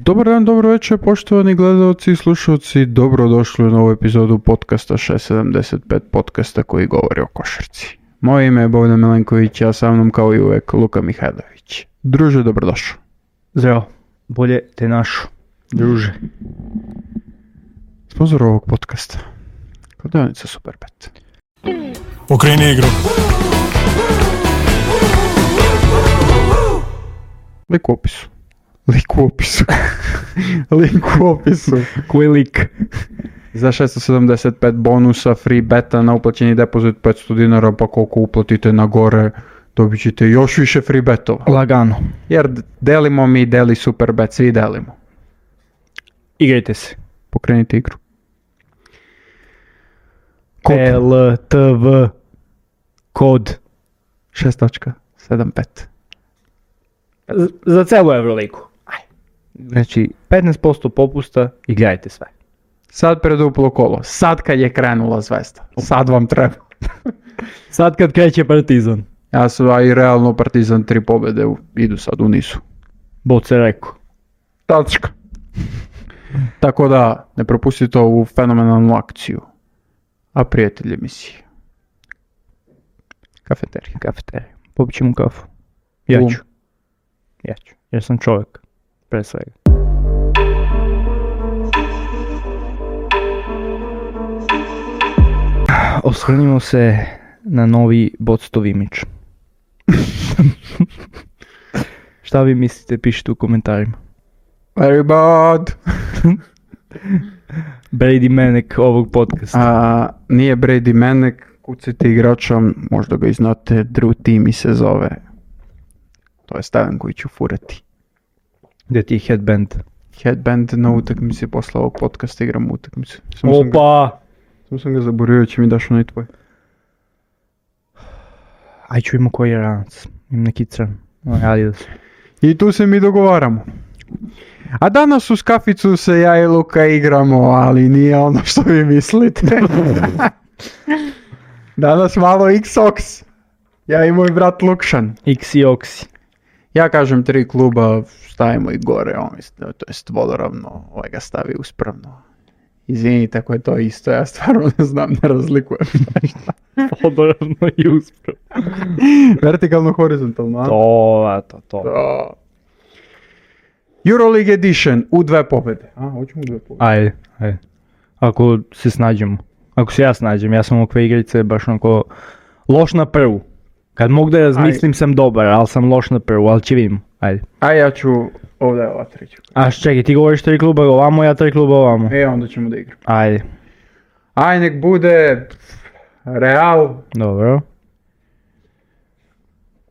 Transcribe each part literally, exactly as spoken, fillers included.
Dobar dan, dobro večer, poštovani gledalci i slušalci, dobrodošli u novu epizodu podcasta šest sedamdeset pet, podcasta koji govori o košarci. Moje ime je Bogdan Milenković, a sa mnom kao i uvek Luka Mihajlović. Druže, dobrodošao. Zdravo, bolje te našu, druže. Sponzor ovog podcasta, Kladionica Superbet. Pokreni igru. Lik u opisu. Lik u opisu. Link u opisu. Koji lik? Za šest sedamdeset pet bonusa, free beta na uplaćeni depozit petsto dinara, pa koliko uplatite na gore, dobit ćete još više free betova. Lagano. Jer delimo mi, deli Superbet, svi delimo. Igrajte se. Pokrenite igru. Kod L T V kod šest sedamdeset pet. Z- za celu Euroligu. Znači, petnaest posto popusta, igrajte sve. Sad preduplo kolo, sad kad je krenula Zvezda, sad vam treba. Sad kad kreće Partizan. Ja sam, a i realno Partizan tri pobjede u, idu sad u nisu. Boce rekao. Tačka. Tako da, ne propustite ovu fenomenalnu akciju. A prijatelj emisije. Kafeterija. Kafeterija. Popit ćemo kafu. Ja Um. ću. Ja ću. Jer sam čovjek. Pre svega. Osvrnimo se na novi Boctov imidž. Šta vi mislite, pišite u komentarima. Very bad. Brady Manek ovog podcasta. A, nije Brady Manek, kucite igrača, možda ga i znate, Drew Timmy se zove. To je Steven koji ću furati. Gdje ti je headband? Headband na utakmici, posle ovog podcasta igram utakmicu. Samo sam ga, Opa! samo sam ga zaboravio, će mi daš onaj tvoj. Aj ću ima koji je ranac. Imam neki crn. Adidas. I tu se mi dogovaramo. A danas uz kaficu se ja i Luka igramo, ali nije ono što vi mislite. Danas malo X-Ox. Ja i moj brat Lukšan. X i Oxy. Ja kažem tri kluba, stavimo i gore, on, to jest vodoravno, ovaj ga stavi uspravno. Izvinite ako je to isto, ja stvarno ne znam, ne razlikujem nešto. Vodoravno i usprav. Vertikalno, horizontalno, a? To, eto, to. Da. Euroleague Edition u dve pobjede. A, hoćemo u dve pobjede. Ajde, ajde. Ako se snađemo. Ako se ja snađem, ja sam ovakve igrice baš onako loš na prvu. Kad mogu da razmislim Aj. sam dobar, ali sam loš na prvu, ali će vidimo. Ajde. A ja ću, ovdje je ova treća. A čekaj, ti govoriš tri kluba ovamo, ja tri kluba ovamo. E, onda ćemo da igram. Ajde. Aj, nek bude Real, Dobro,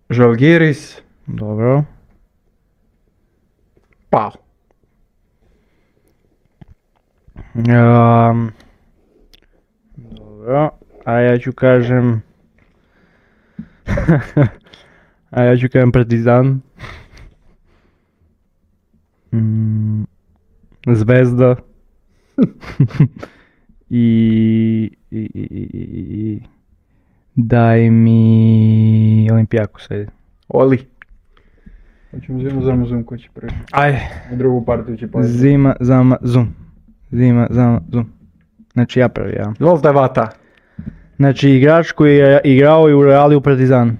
Žalgiris, dobro. Pau. Um, dobro, a ja ću kažem... a ja ću kažem Partizan. Mm, Zvezda. I, i, i, i, i daj mi Olimpijakos, ajde. Oli. Hoćemo zimu, zama, zum, ko će prvi. Ajde. U drugu partiju će pojeti. Zima, zama, zum. Zima, zama, zum. Znači ja prvi, ja. Izvolite, vata. Znači igrač koji je igrao i u Reali u Partizan.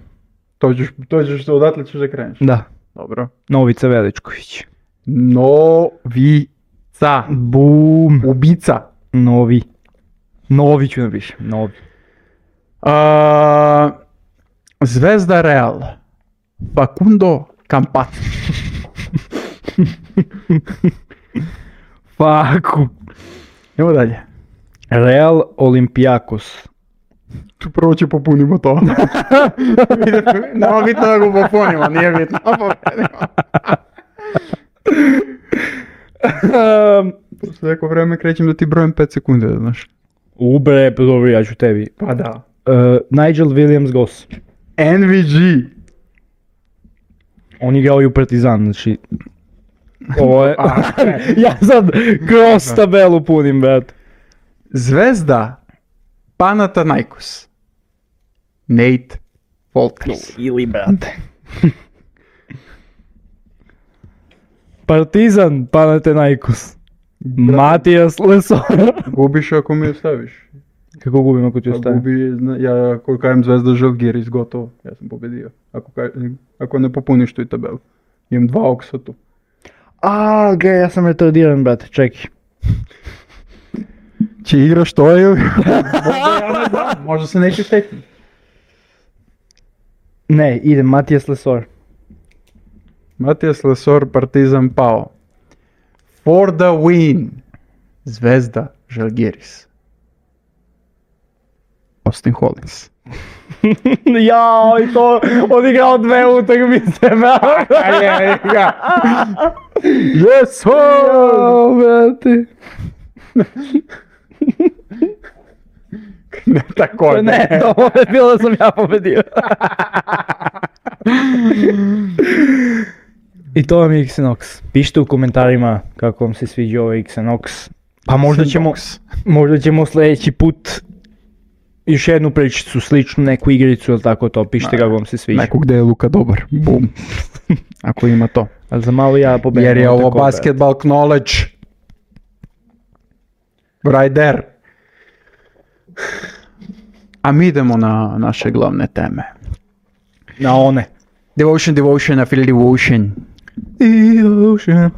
To ćeš, to ćeš, odatle ćeš da kreneš. Da. Dobro. Novica Veličković. Novica. Bum. Ubica. Novi. Novi ću napišem. Novi. A, Zvezda Real. Facundo Campazzo. Faku. Idemo dalje. Real Olimpijakos. Tu prvo će popunimo to. Nema bitno da ga popunimo, nije bitno. Posle neko vreme krećem da ti brojem pet sekundi, da znaš. Ubre, dobro, ja ću tebi. Pa da. Uh, Nigel Williams-Goss. N V G. On igrao i u Partizan, znači... Ovo je... A, ja sad kroz tabelu punim, brat. Zvezda Panathinaikos. Nate Wolters. Ili, brate. Partizan, Panathinaikos. Matijas Lesor. Gubiš ako mi ostaviš. Kako gubim ako ti Pa ostavim? gubi, zna- ja ako kažem Zvezda Žalgiris, gotovo. Ja sam pobedio. Ako, ka- ako ne popuniš tu i tabelu. Imam dva oksa tu. A, gej, ja sam retardiran, brate, čekaj. Će igraš to ili? Možda ja ne znam, možda se neće stekni. Ne, idem, Matijas Lesor. Matijas Lesor, Partizan pao. For the win. Zvezda Žalgiris. Austin Hollins. Jao, i to odigrao dve utakmice, Yes, Jao, brate. Ne tako Ne, to je bilo da sam ja pobedio. I to vam je Xenox. Pišite u komentarima kako vam se sviđa ovaj Xenox. Pa možda ćemo, možda ćemo sljedeći put još jednu pričicu, sličnu neku igricu ili tako to. Pišite kako vam se sviđa. Neko gde je Luka dobar. Bum. Ako ima to. Ali za malo ja pobedim. Jer je ovo tako, basketball knowledge. Right there. A mi idemo na naše glavne teme. Na one. Devotion, devotion, I feel devotion. Devotion.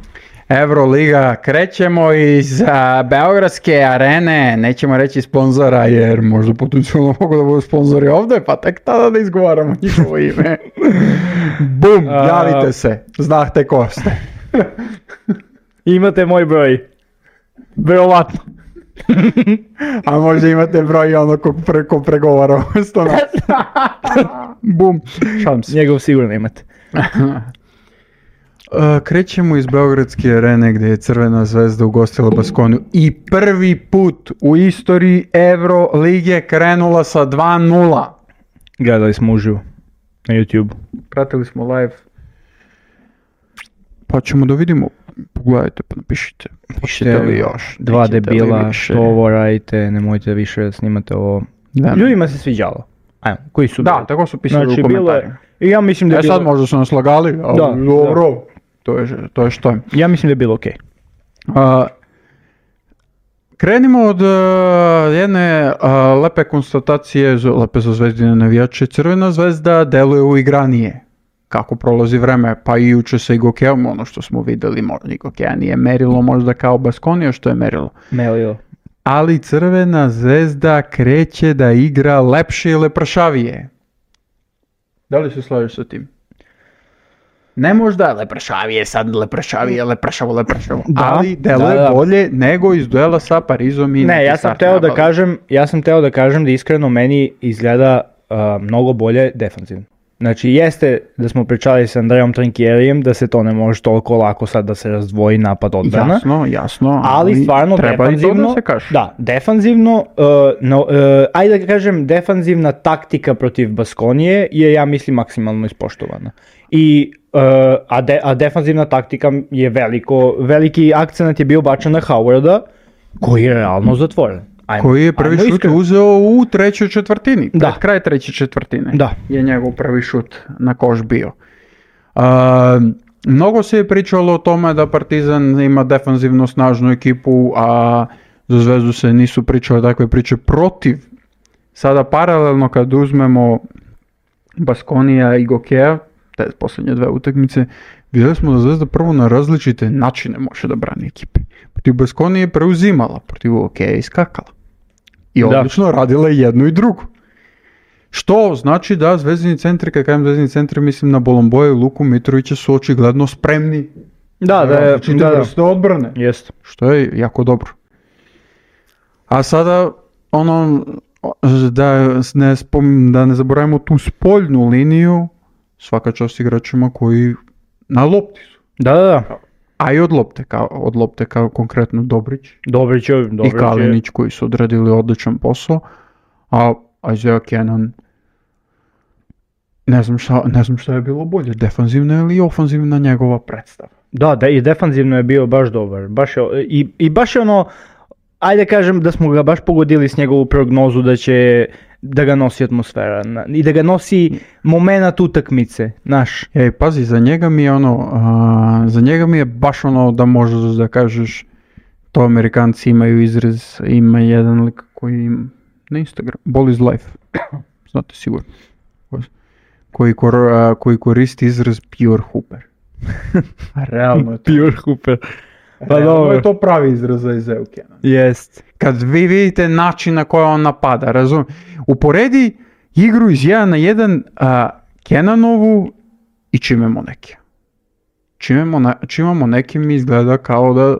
Euroliga, krećemo iz a, Beogradske arene, nećemo reći sponzora jer možda potencijalno mogu da budu sponzori ovdje, pa tek tada da izgovaramo njihovo ime. Bum, A- javite se, znate ko ste. Imate moj broj. Verovatno. A možda imate broj ono ko, pre, ko pregovara umjesto nas. Bum, šalim se. Njegov sigurno imate. Uh, krećemo iz Beogradske arene gdje je Crvena zvezda ugostila Baskoniju i prvi put u istoriji Evrolige krenula sa dva nula. Gledali smo uživo. Na YouTube. Pratili smo live. Pa ćemo da vidimo. Pogledajte pa napišite. Pišite li još? Dva Nećete li debila, više? što ovo radite, nemojte više da snimate ovo. Da. Ljudima se sviđalo. Ajmo, koji su Da, bili? tako su pisali Znači, u bilo komentarima. je, i ja mislim da je E bilo, sad možda su nas lagali, ali Da, dobro. To je, to je što je. ja mislim da je bilo okej. A, krenimo od a, jedne a, lepe konstatacije, z- lepe za zvezdine navijače. Crvena zvezda deluje uigranije. Kako prolazi vreme, pa i juče sa Igokeom, ono što smo videli, možda Igokea nije merilo možda kao Baskonija što je merilo. Melio. Ali Crvena zvezda kreće da igra lepše i lepršavije. Da li se slažeš sa tim? Ne možda lepršavije, sad lepršavije, lepršavo, lepršavo, Da, ali deluje da, da. bolje nego iz duela sa Parizom i Ne, ja neki sam start teo da nabave. kažem, ja sam teo da kažem da iskreno meni izgleda uh, mnogo bolje defanzivno. Znači jeste da smo pričali sa Andrejom Trinkjerijem da se to ne može toliko lako sad da se razdvoji napad odbrana. Jasno, jasno, Ali stvarno treba i to defanzivno, da se kaže. da, defanzivno, uh, no, uh, ajde da kažem, defanzivna taktika protiv Baskonije je, ja mislim, maksimalno ispoštovana. I, uh, a, de, a defanzivna taktika je veliko, veliki akcenat je bio bačen na Howarda, koji je realno zatvoren. Ajmo, Koji je prvi ajmo šut iskreno. uzeo u trećoj četvrtini, Da. pred kraj treće četvrtine. Da. Je njegov prvi šut na koš bio. A, mnogo se je pričalo o tome da Partizan ima defanzivno snažnu ekipu, a za Zvezdu se nisu pričale takve priče protiv. Sada paralelno kad uzmemo Baskonija i Gokea, te posljednje dve utakmice, vidjeli smo da Zvezda prvo na različite načine može da brani ekipe. Protiv Baskonije je preuzimala, protiv Gokeja je iskakala. I Da. odlično radila i jednu i drugu. Što znači da zvezdini centri, kad kažem zvezdini centri, mislim na Bolomboja i Luku Mitrovića su očigledno spremni Da, da, je- različite da, da. vrste odbrane. Jest. Što je jako dobro. A sada, ono, da ne, spom, da ne zaboravimo tu spoljnu liniju, svaka čast igračima koji na lopti su. Da, da, da. A i od lopte, kao, od lopte kao konkretno Dobrić Dobrić je, Dobrić i je. Kalinić koji su odradili odličan posao, a Isaiah Cannon ne znam šta, ne znam šta je bilo bolje, defanzivna ili ofanzivna njegova predstava. Da, da, i defanzivno je bio baš dobar. Baš je, i, I baš je ono, ajde kažem da smo ga baš pogodili s njegovu prognozu da će da ga nosi atmosfera na, i da ga nosi momenat utakmice, naš. Ej, pazi, za njega mi je ono, a, za njega mi je baš ono da možeš da kažeš, to Amerikanci imaju izraz, ima jedan lik koji ima na Instagram, Ball is life, znate sigurno, koji, kor, a, koji koristi izraz pure hooper. Realno je to. Pure hooper. Pa Realno dobro. je to pravi izraz za Isaiah Cannon. Jest. Kad vi vidite način na koji on napada, razum, uporedi igru iz jedan na jedan a, Cannanovu i Chime Monekija. Chime Moneki mi izgleda kao da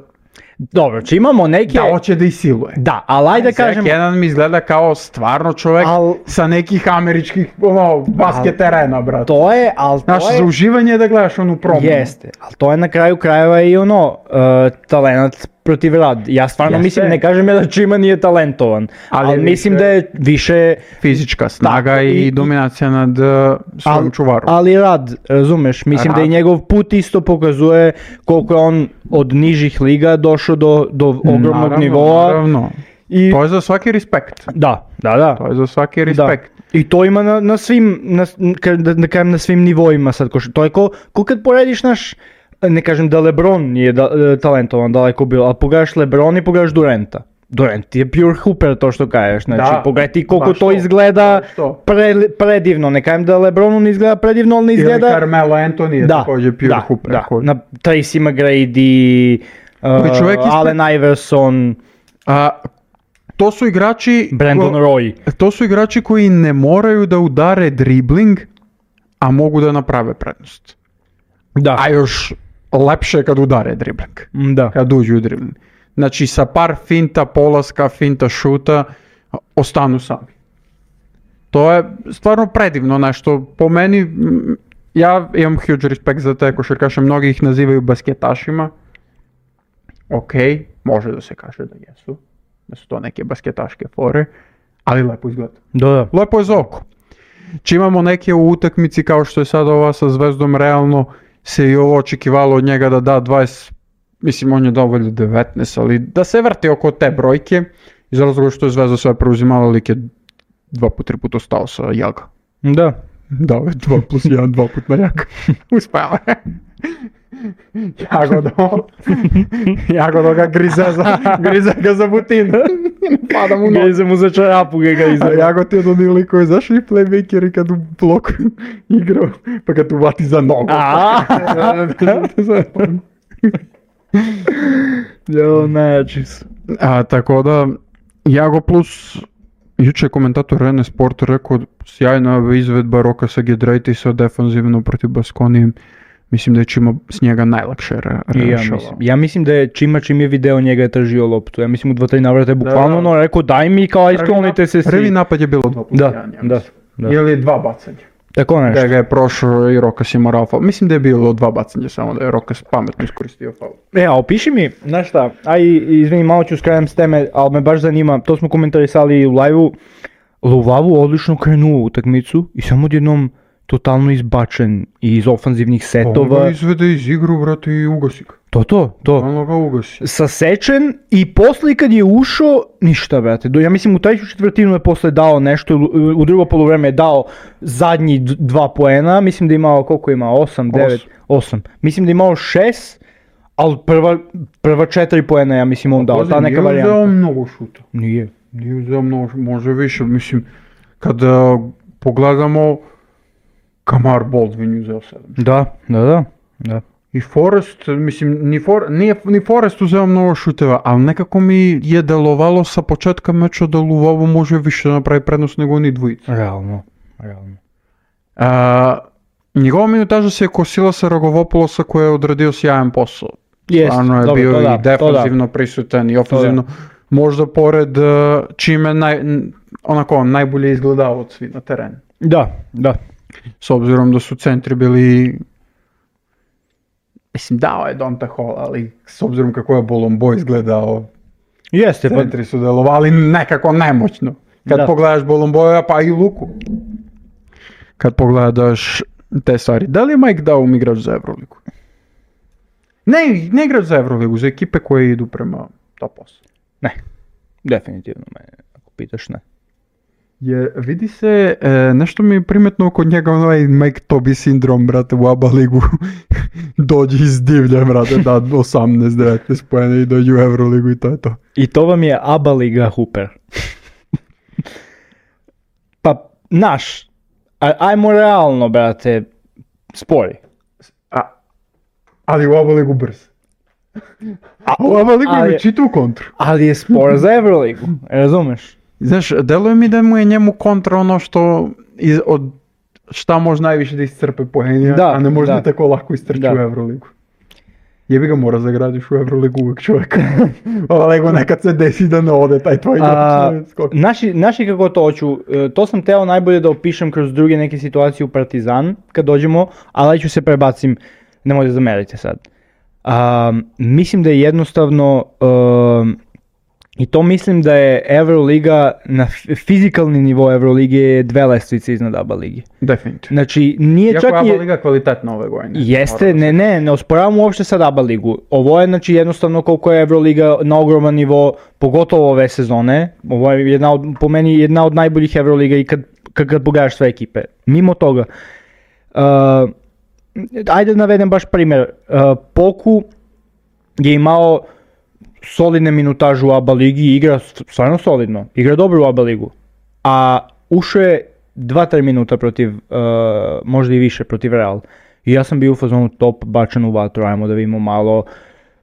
Dobro, če imamo neke... da hoće da isiluje. Da, ali ajde da kažem... Cannon mi izgleda kao stvarno čovjek Al- sa nekih američkih ono, basket terena, brate. To je, ali to Znaš, je... za uživanje je da gledaš onu promenu. Jeste, ali to je na kraju krajeva i ono, uh, talenat protiv rad. Ja stvarno Jeste. mislim, ne kažem ja da Chima nije talentovan, Ali ali, je mislim više- da je više... Fizička snaga Tako, i, i- dominacija nad uh, svojim Al- čuvarom. Ali rad, razumeš, mislim Rad. da i njegov put isto pokazuje koliko je on od nižih liga došao do, do ogromnog Naravno, nivoa. Naravno. I... To je za svaki respekt. Da, da, da. To je za svaki Da. respekt. I to ima na, na svim, na, ka- da, da kažem na svim nivoima sad. Ko, to je ko, ko kad porediš naš, ne kažem da LeBron nije da, e, talentovan, daleko bilo, ali pogledaš LeBron i pogledaš Duranta. Durant je pure hooper, to što kažeš, znači Da, pogledaj ti koliko baš to to, izgleda baš to. pre, predivno, ne kažem da LeBronu ne izgleda predivno, ali ne Ili izgleda... Carmelo Anthony je Da, također pure da, hooper. da, koji- na Tracy McGrady, Koji uh, čovjek ispred- Allen Iverson, A, to su igrači... Brandon ko- Roy. To su igrači koji ne moraju da udare dribling, a mogu da naprave prednost. Da, A još lepše kad udare dribling. da. Kad uđu u dribling. Znači sa par finta, polaska, finta, šuta, ostanu sami. To je stvarno predivno nešto. Po meni, mm, ja imam huge respekt za te košarkaše, mnogi ih nazivaju basketašima. Ok, može da se kaže da jesu. Da su to neke basketaške fore, ali lepo izgleda. Da, da. Lepo je za oko. Če imamo neke u utakmici kao što je sad ova sa Zvezdom, realno se i ovo očekivalo od njega da da dvadeset, mislim on je dao valjda devetnaest, ali da se vrti oko te brojke, iz razloga što je Zvezda sve preuzimala, lik je dva put, tri puta ostao sa Jaga. Da. Dao je dva plus jedan, dva put na Jaga. Uspela je. Jagodo. Jagodo ga grize za, grize ga za butinu. Pada mu noga. Grize mu za čarapu ga ga A izgleda. Jago ti je od onih likova, znaš li playmakeri kad u bloku igrao, pa kad uvati za nogu. A? Jo, znači su. A, tako da, Jago plus, juče je komentator Rene Sport rekao, sjajna izvedba Roka sa Giedraitisa defanzivno protiv Baskonije. Mislim da je Čima s njega najlakše re- I ja, rešavao. mislim, ja mislim da je Čima čim je video njega je tržio loptu. Ja mislim u dva, tri navrata je bukvalno da. ono rekao daj mi kao aj sklonite se Prvi svi. napad je bilo dva plus Da, jedan, ja da, mislim. da. Ili dva bacanja. Tako nešto. Da ga je prošao i Rokas je morao faul. Mislim da je bilo dva bacanja, samo da je Rokas pametno iskoristio faul. E, a opiši mi, znaš šta, aj izvini malo ću skrenem s teme, ali me baš zanima, to smo komentarisali i u live-u, Luvavu odlično krenuo u utakmicu i samo odjednom totalno izbačen iz ofanzivnih On setova. ga izvede iz igru, brate, i ugasi ga. To to, to. On ga ugasi. Sasečen i posle kad je ušao, ništa brate. Do, ja mislim u treću četvrtinu je posle dao nešto, u drugo poluvreme je dao zadnji d- dva poena, mislim da je imao, koliko je imao, osam, devet, osam. Mislim da je imao šest, ali prva, prva četiri poena ja mislim on dao, Pazi, ta neka nije uzeo varijanta. mnogo šuta. Nije. Nije uzeo mnogo, može više, mislim, kada pogledamo, Kamar Baldwin je uzeo sedam. Da, da, da. da. I Forrest, mislim, ni, For, nije, ni Forrest uzeo mnogo šuteva, ali nekako mi je delovalo sa početka meča da Luvavo može više napravi prednost nego oni dvojica. Realno, realno. A, njegova minutaža se je kosila sa Rogovopolosa koji je odradio sjajan posao. Jest, Stvarno je dobro, bio to i da, to defanzivno prisutan i ofenzivno. Možda pored uh, čime naj, n- onako najbolje izgledao od svi na terenu. Da, da. S obzirom da su centri bili, mislim dao je Donta Hall, ali s obzirom kako je Bolombo izgledao, Jeste, pa centri su delovali nekako nemoćno. Kad Da. pogledaš Bolomboja pa i Luku. Kad pogledaš te stvari. Da li je Mike Daum igrač za Euroligu? Ne, ne igrač za Euroligu, za ekipe koje idu prema top osam. ne. Definitivno mene, ako pitaš ne. Je, vidi se, e, nešto mi je primetno oko njega, onaj Mike Toby sindrom, brate, u A B A ligu. Dođi iz divlja, brate, da osamnaest devetnaest pojene i dođi u Euroligu i to je to. I to vam je A B A liga Hooper. Pa, naš, ajmo realno, brate, spori. A, ali u A B A ligu brz. A u A B A ligu ali- ima čitu kontru. Ali je spor za Euroligu, razumeš? Znaš, deluje mi da mu je njemu kontra ono što iz, od šta može najviše da iscrpe poenja, Da, a ne može da da. tako lako istrči Da. u Euroligu. Jebi ga, mora zagradiš u Euroligu uvijek čovjek. Ova lego nekad se desi da ne ode taj tvoj A, igrač. skok. naši, naši kako to hoću, e, to sam teo najbolje da opišem kroz druge neke situacije u Partizan, kad dođemo, ali ću se prebacim, nemoj da zamerite sad. A, mislim da je jednostavno, um, i to mislim da je Euroliga, na f- fizikalni nivo Eurolige je dve lestvice iznad A B A ligi. Definitivno. Znači, nije Iako čak je A B A i... liga kvalitetna ove godine. Jeste, ne, ne, ne osporavam uopšte sad A B A ligu. Ovo je znači jednostavno koliko je Euroliga na ogroman nivo, pogotovo ove sezone. Ovo je jedna od, po meni jedna od najboljih Euroliga i kad, kad, kad pogledaš sve ekipe. Mimo toga, uh, ajde da navedem baš primjer. Uh, Poku je imao solidne minutažu u A B A ligi i igra stvarno solidno. Igra dobro u A B A ligu. A ušao je dva tri minuta protiv, uh, možda i više, protiv Real. I ja sam bio u fazonu top, bačan u vatru, ajmo da vidimo malo.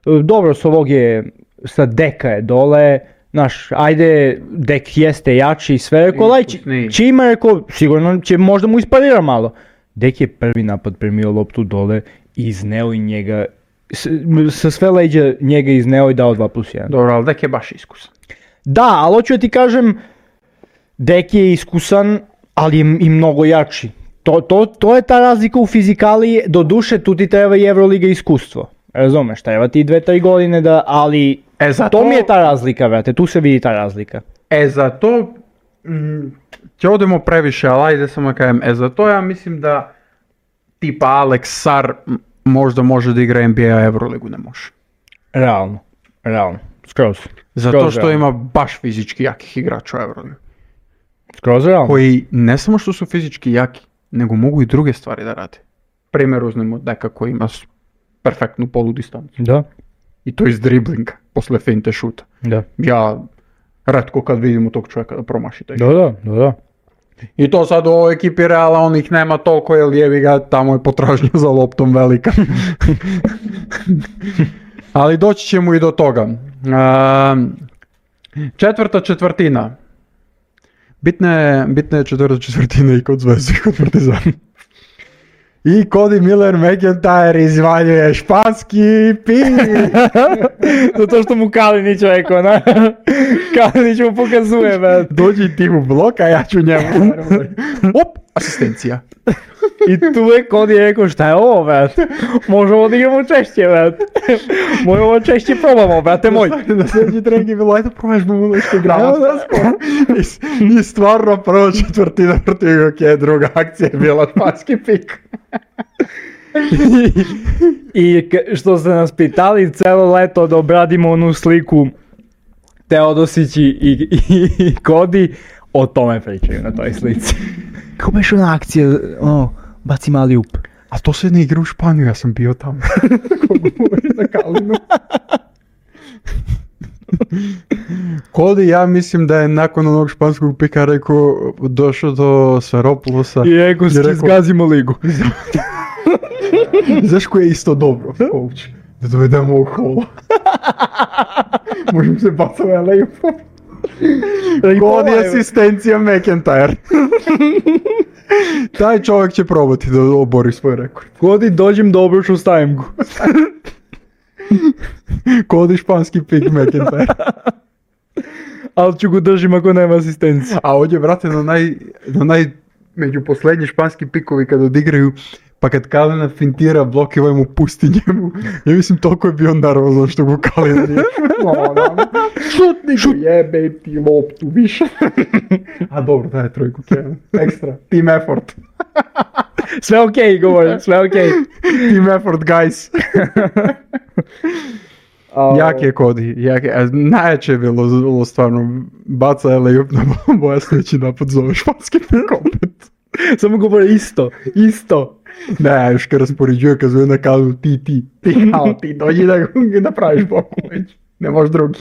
Uh, dobro, s ovog je, sa Deka je dole, znaš, ajde, Dek jeste jači i sve, rekao, laj, Iskusniji. Čima je rekao, sigurno će možda mu isparira malo. Dek je prvi napad primio loptu dole i izneo i njega, s- sa sve leđa njega izneo i dao dva plus jedan. Dobro, ali Dek je baš iskusan. Da, ali hoću da ti kažem, Dek je iskusan, ali je i mnogo jači. To, to, to je ta razlika u fizikali, do duše tu ti treba i Euroliga iskustvo. Razumeš, treba ti dve, tri godine da, ali E, zato, to mi je ta razlika, brate, tu se vidi ta razlika. E, za to, mm, će odemo previše, ali ajde samo da kažem, e, za to ja mislim da tipa Alex Sar m, možda može da igra N B A, a Euroligu ne može. Realno, realno, skroz. Zato Skroz što realno. ima baš fizički jakih igrača u Euroligu. Skroz realno. Koji ne samo što su fizički jaki, nego mogu i druge stvari da rade. Primjer uzmemo Deka koji ima s- perfektnu poludistancu. Da, I to iz driblinga, posle finte šuta. da. Ja retko kad vidimo tog čovjeka da promaši taj šut. Da, da, da, da. I to sad u ovoj ekipi Reala, on ih nema toliko, jer jebi ga, tamo je potražnja za loptom velika. Ali doći ćemo i do toga. Um, četvrta četvrtina. Bitna je, bitna je četvrta četvrtina i kod Zvezde i kod Partizana. I Cody Miller McIntyre izvaljuje španski pir. Zato što mu Kalinić rekao, na? Kalinić mu pokazuje, man. Dođi ti u blok, a ja ću njemu. Op, asistencija. I tu je Cody rekao, šta je ovo, brat? Možemo da igramo češće, brat. Možemo češće probamo, brate moj. Na sljedeći trening je bilo, ajde probažemo nešto igramo. Evo da skoro. I, I stvarno prva četvrtina protiv Jokića, druga akcija je bila španski pik. I k- što ste nas pitali celo leto da obradimo onu sliku Teodosić i, i, i Cody, o tome pričaju na toj slici. Kako beš ona akcija, ono, baci mali up. A to se ne igra u Španiju, ja sam bio tamo. Kako govori na Kalinu. Cody, ja mislim da je nakon onog španskog pika rekao, došao do Saropolosa. I rekao, I rekao- zgazimo ligu. Znaš ko je isto dobro, coach? Da dovedemo ovog hola. Možemo se bacati u layup. Cody asistencija McIntyre. Taj čovjek će probati da obori svoj rekord. Cody, dođem dobro što stavim go. Cody španski pik McIntyre. Ali ću go držim ako nema asistencije. A ovdje, brate, na naj, na naj, među posljednji španski pikovi kad odigraju, pa kad Kalina fintira blok i ovaj mu pusti njemu, ja mislim toliko je bio nervozan što go Kalina nije šutno. Šutni go, jebe ti loptu više. A dobro, daj trojku, Kevin. Ekstra, team effort. Sve okej, govorim, sve okej. Team effort, guys. A, Jak je Cody, jak je, a najjače je bilo, bilo stvarno, baca alley-oop na Boja, sljedeći napad zove španski opet. Samo govore isto, isto. Ne, još kad raspoređuje, kad zove na kazu, ti, ti, ti, kao ti, dođi da ga napraviš boku već, ne možeš drugi.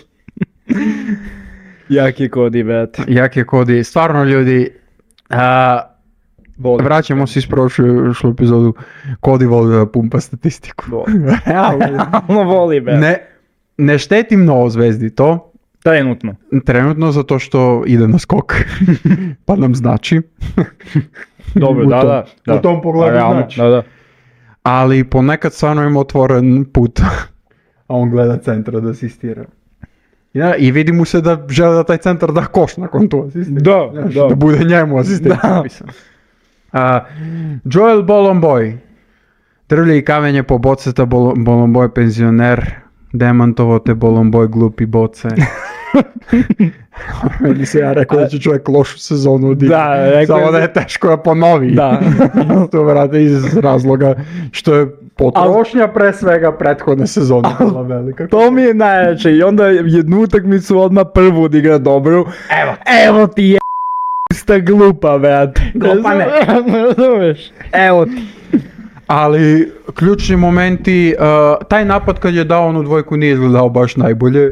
Jak je Cody, brat. Jak je Cody, stvarno ljudi, a, Volim. vraćamo se iz prošlu epizodu, Cody voli da pumpa statistiku. Realno. Realno voli, brat. Ne, ne šteti mnogo zvezdi to, Trenutno. trenutno zato što ide na skok, pa nam znači. Dobro, U da, tom- da, da. u tom pogledu Realno, znači. Da, da. Ali ponekad stvarno ima otvoren put, a on gleda centra da asistira. Ja, i vidi mu se da žele da taj centar da koš nakon tu asistira. Da, Znaš, da. da bude njemu asistent. Da. A, Joel Bolomboy, drvlje i kamenje po boceta, Bol- Bolomboy penzioner, demantovo te Bolomboy glupi boce. Meni se ja rekao da će čovjek lošu sezonu odigrati. Da, rekao Samo je da za- je teško da ponovi. Da. To vrate iz razloga što je potrošnja pre svega prethodne sezone bila velika. To mi je najjače i onda jednu utakmicu odmah prvu odigra dobru. Evo, Evo ti je sta glupa, brat. Glupane. Razumeš? Evo ti. ali ključni momenti, uh, taj napad kad je dao onu dvojku nije izgledao baš najbolje.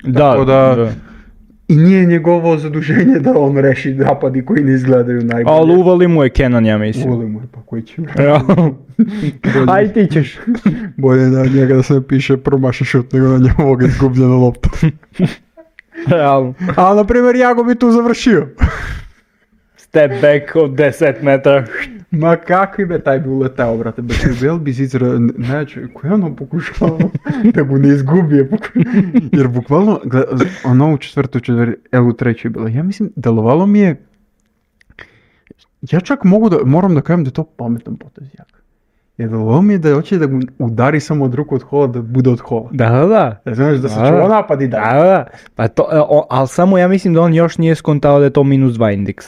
Da, Tako da- da. I nije njegovo zaduženje da on reši napadi koji ne izgledaju najbolje. Ali uvali mu je Kenan, ja mislim. Uvali mu je, pa koji će Realno. Aj ti ćeš. bolje na njega da se ne piše promaši šut nego na njegovog izgubljena lopta. Realno. A na primjer Jago bi tu završio. Step back od deset metara. Ma kakvi be taj bi uletao, brate, be ti bil bi zizra, neće, koje ono pokušao da mu ne izgubije, jer bukvalno, gled, ono u četvrtu, četvrti, evo u trećoj bilo, ja mislim, delovalo mi je, ja čak mogu da, moram da kažem da je to pametan potez jak. Jer delovalo mi je da hoće da mu udari samo od ruku od hola, da bude od hola. Da, da, da. Da znaš da se Da, čuva da. napad i Da, da. da. Pa to, e, o, ali samo ja mislim da on još nije skontao da je to minus dva indeks.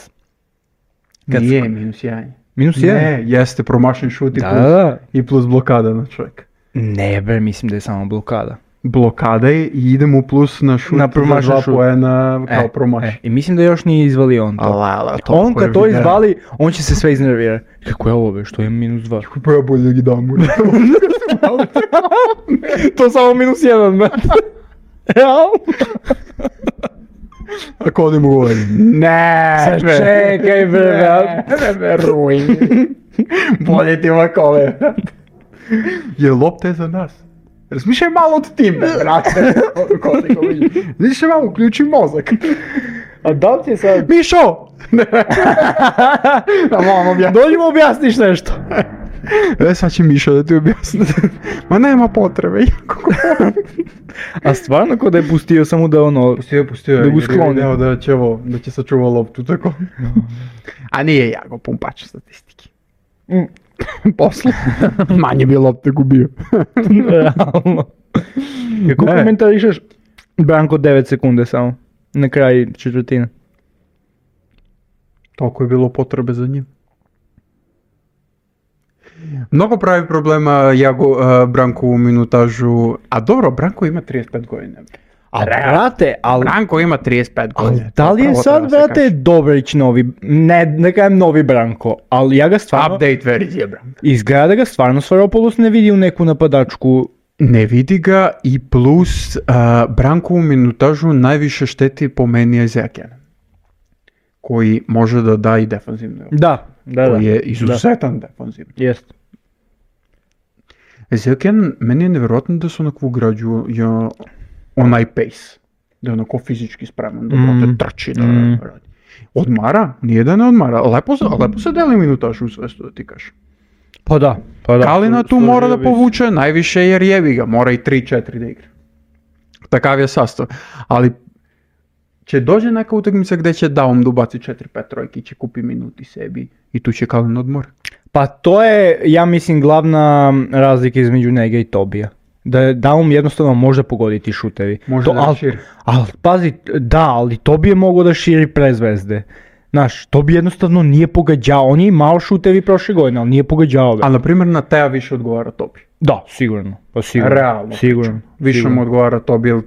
Kad Nije minus jedan. Minus jedan? Ne, jeste promašen šut i, Da, plus, da. i plus blokada na čovjeka. Ne, bre, mislim da je samo blokada. Blokada je i idemo plus na šut Na za promašen dva šut. poena kao promaš. E, I mislim da još nije izvalio on to. Ala, ala, to On koje kad to video. izvali, on će se sve iznervirati. Kako je ovo, be, što je minus dva? Pa ja bolje da gi dam mu. To samo minus jedan, be. Realno? A ko ne mu govori? Ne, Sad čekaj, bre, ne, ne veruj. Bolje ti ovakove. Je lopta je za nas. Razmišljaj malo od time, brate. Ko te govori? Razmišljaj malo, uključi mozak. A da li ti je sad... Mišo! Da vam objasnim. Dođi mu objasniš nešto. E, sad će Mišo da ti objasni. Ma nema potrebe. A stvarno ko da je pustio samo da ono... Pustio, pustio. Da ga skloni. Da će ovo, da će sačuva loptu, tako. A nije Jago pumpač statistiki. Poslu. Manje bi lopte gubio. Realno. Kako Ne. komentarišeš Branko devet sekunde samo? Na kraju četvrtine. Toliko je bilo potrebe za njim. Mnogo pravi problema Jago, uh, Branko u minutažu. A dobro, Branko ima trideset pet godina. A brate, ali... Branko ima trideset pet Ali godina. da li je Pravo sad, treba se brate, kaže. Dobrić novi, ne, ne kažem novi Branko, ali ja ga stvarno, Update verzija Branko. izgleda da ga stvarno Svaropoulos ne vidi u neku napadačku. Ne vidi ga i plus uh, Branko u minutažu najviše šteti po meni je Zekian. Koji može da da i defanzivno. Da, da, da. Koji je izuzetan defanzivno. Jest. Zekian, meni je nevjerojatno da se onako ugrađuje ja, onaj pace. Da je onako fizički spreman, da Mm. brate trči, da Mm. radi. Odmara? Nije da ne odmara. Lepo se, lepo se deli minutažu u svestu da ti kažeš. Pa da, pa da. Kalina tu Složio mora da bi se. povuče najviše jer jebi ga, mora i tri četiri da igra. Takav je sastav. Ali će dođe neka utakmica gdje će Daum da ubaci četiri pet trojki, će kupi minuti sebi i tu će Kalin odmor. Pa to je, ja mislim, glavna razlika između njega i Tobija. Da je Daum jednostavno može pogoditi šutevi. Može to, da al, širi. al, pazi, da, ali Tobi je mogao da širi pre zvezde. Znaš, Tobi jednostavno nije pogađao. On je imao šutevi prošle godine, ali nije pogađao. A na primjer na Teja više odgovara Tobi. Da, sigurno. Pa sigurno. Realno. Sigurno. Više sigurno. mu odgovara Tobi, jer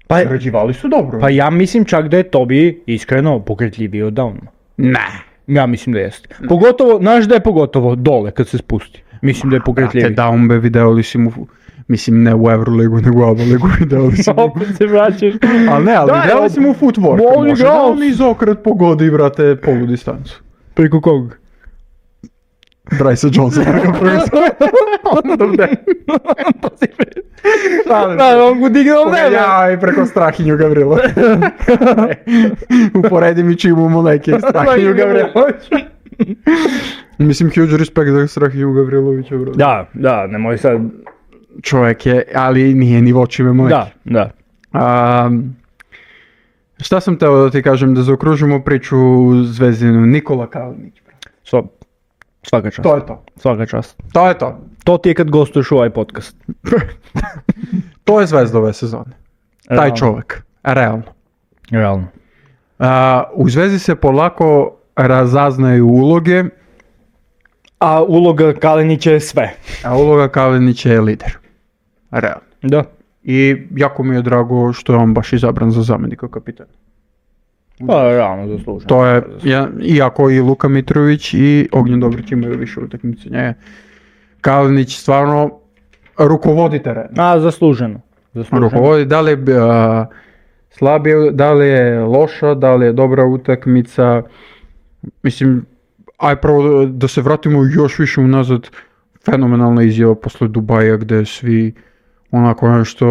Pa, sređivali su dobro. pa ja mislim čak da je Tobi iskreno pokretljiviji od Downma. Ne. Ja mislim da jeste. Pogotovo, znaš da je pogotovo dole kad se spusti. Mislim da je Te pokretljiviji. Downbe video li si mu, mislim ne u Euroligu, nego u Aba ligu video li si mu. Opet se vraćaš. Ali ne, ali Da, video li ob- si mu footwork. on Može igrao. da on izokret pogodi, brate, polu distancu. Preko kog? Bryce Johnson. Da, on ga digao nebe. Ja i preko Strahinju Gavrilo. Uporedi mi čim imamo neke Strahinju Gavrilović. Mislim, huge respekt za Strahinju Gavrilovića, bro. Da, da, nemoj sad. Čovjek je, ali nije ni vočime mleki. Da, da. Um, šta sam teo da ti kažem, da zaokružimo priču Zvezdinu, Nikola Kalinić. Sva, svaka čast. To je to. Svaka čast. To je to. To ti je kad gostuješ u ovaj podcast. To je Zvezda ove sezone. Taj Realno. čovjek. Realno. Realno. Uh, u Zvezdi se polako razaznaju uloge, A uloga Kalinića je sve. a uloga Kalinića je lider. Realno. Da. I jako mi je drago što je on baš izabran za zamjenika kapitana. Pa realno zasluženo. To je, ja, iako i Luka Mitrović i Ognjen Dobrić imaju više utakmice njega, Kalinić stvarno rukovodi teren. A, zasluženo. Zasluženo. Rukovodi, da li je a, slabije, da li je loša, da li je dobra utakmica. Mislim, aj prvo da se vratimo još više unazad, fenomenalna izjava posle Dubaja gdje svi onako nešto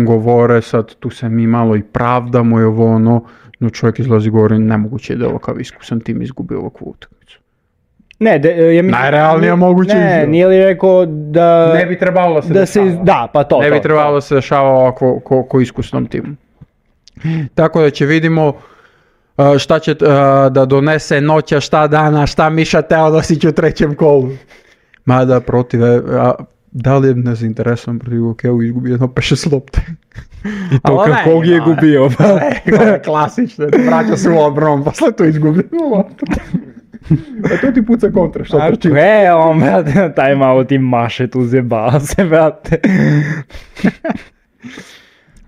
govore, sad tu se mi malo i pravdamo i ovo ono, no čovjek izlazi govori, nemoguće je da ovakav iskusan tim izgubi ovakvu utakmicu. Ne, de, ja mislim... Najrealnija moguća Ne, izjava. nije li rekao da... Ne bi trebalo da se da se, dešava. da, pa to, ne bi to, trebalo to. da se dešava ovako ko, ko iskusnom timu. Tako da će vidimo uh, šta će uh, da donese noća, šta dana, šta Miša Teodosić u trećem kolu. Mada protiv, a, da li je nezainteresovan protiv Okeu izgubio jedno pet šest lopte. I to Ali kako ne, je no, gubio. Ne, klasično, vraća se u odbranu, posle to izgubio loptu. A to ti puca kontra, šta A trči. koje on, brate, taj malo ti maše tu zjebava se, brate.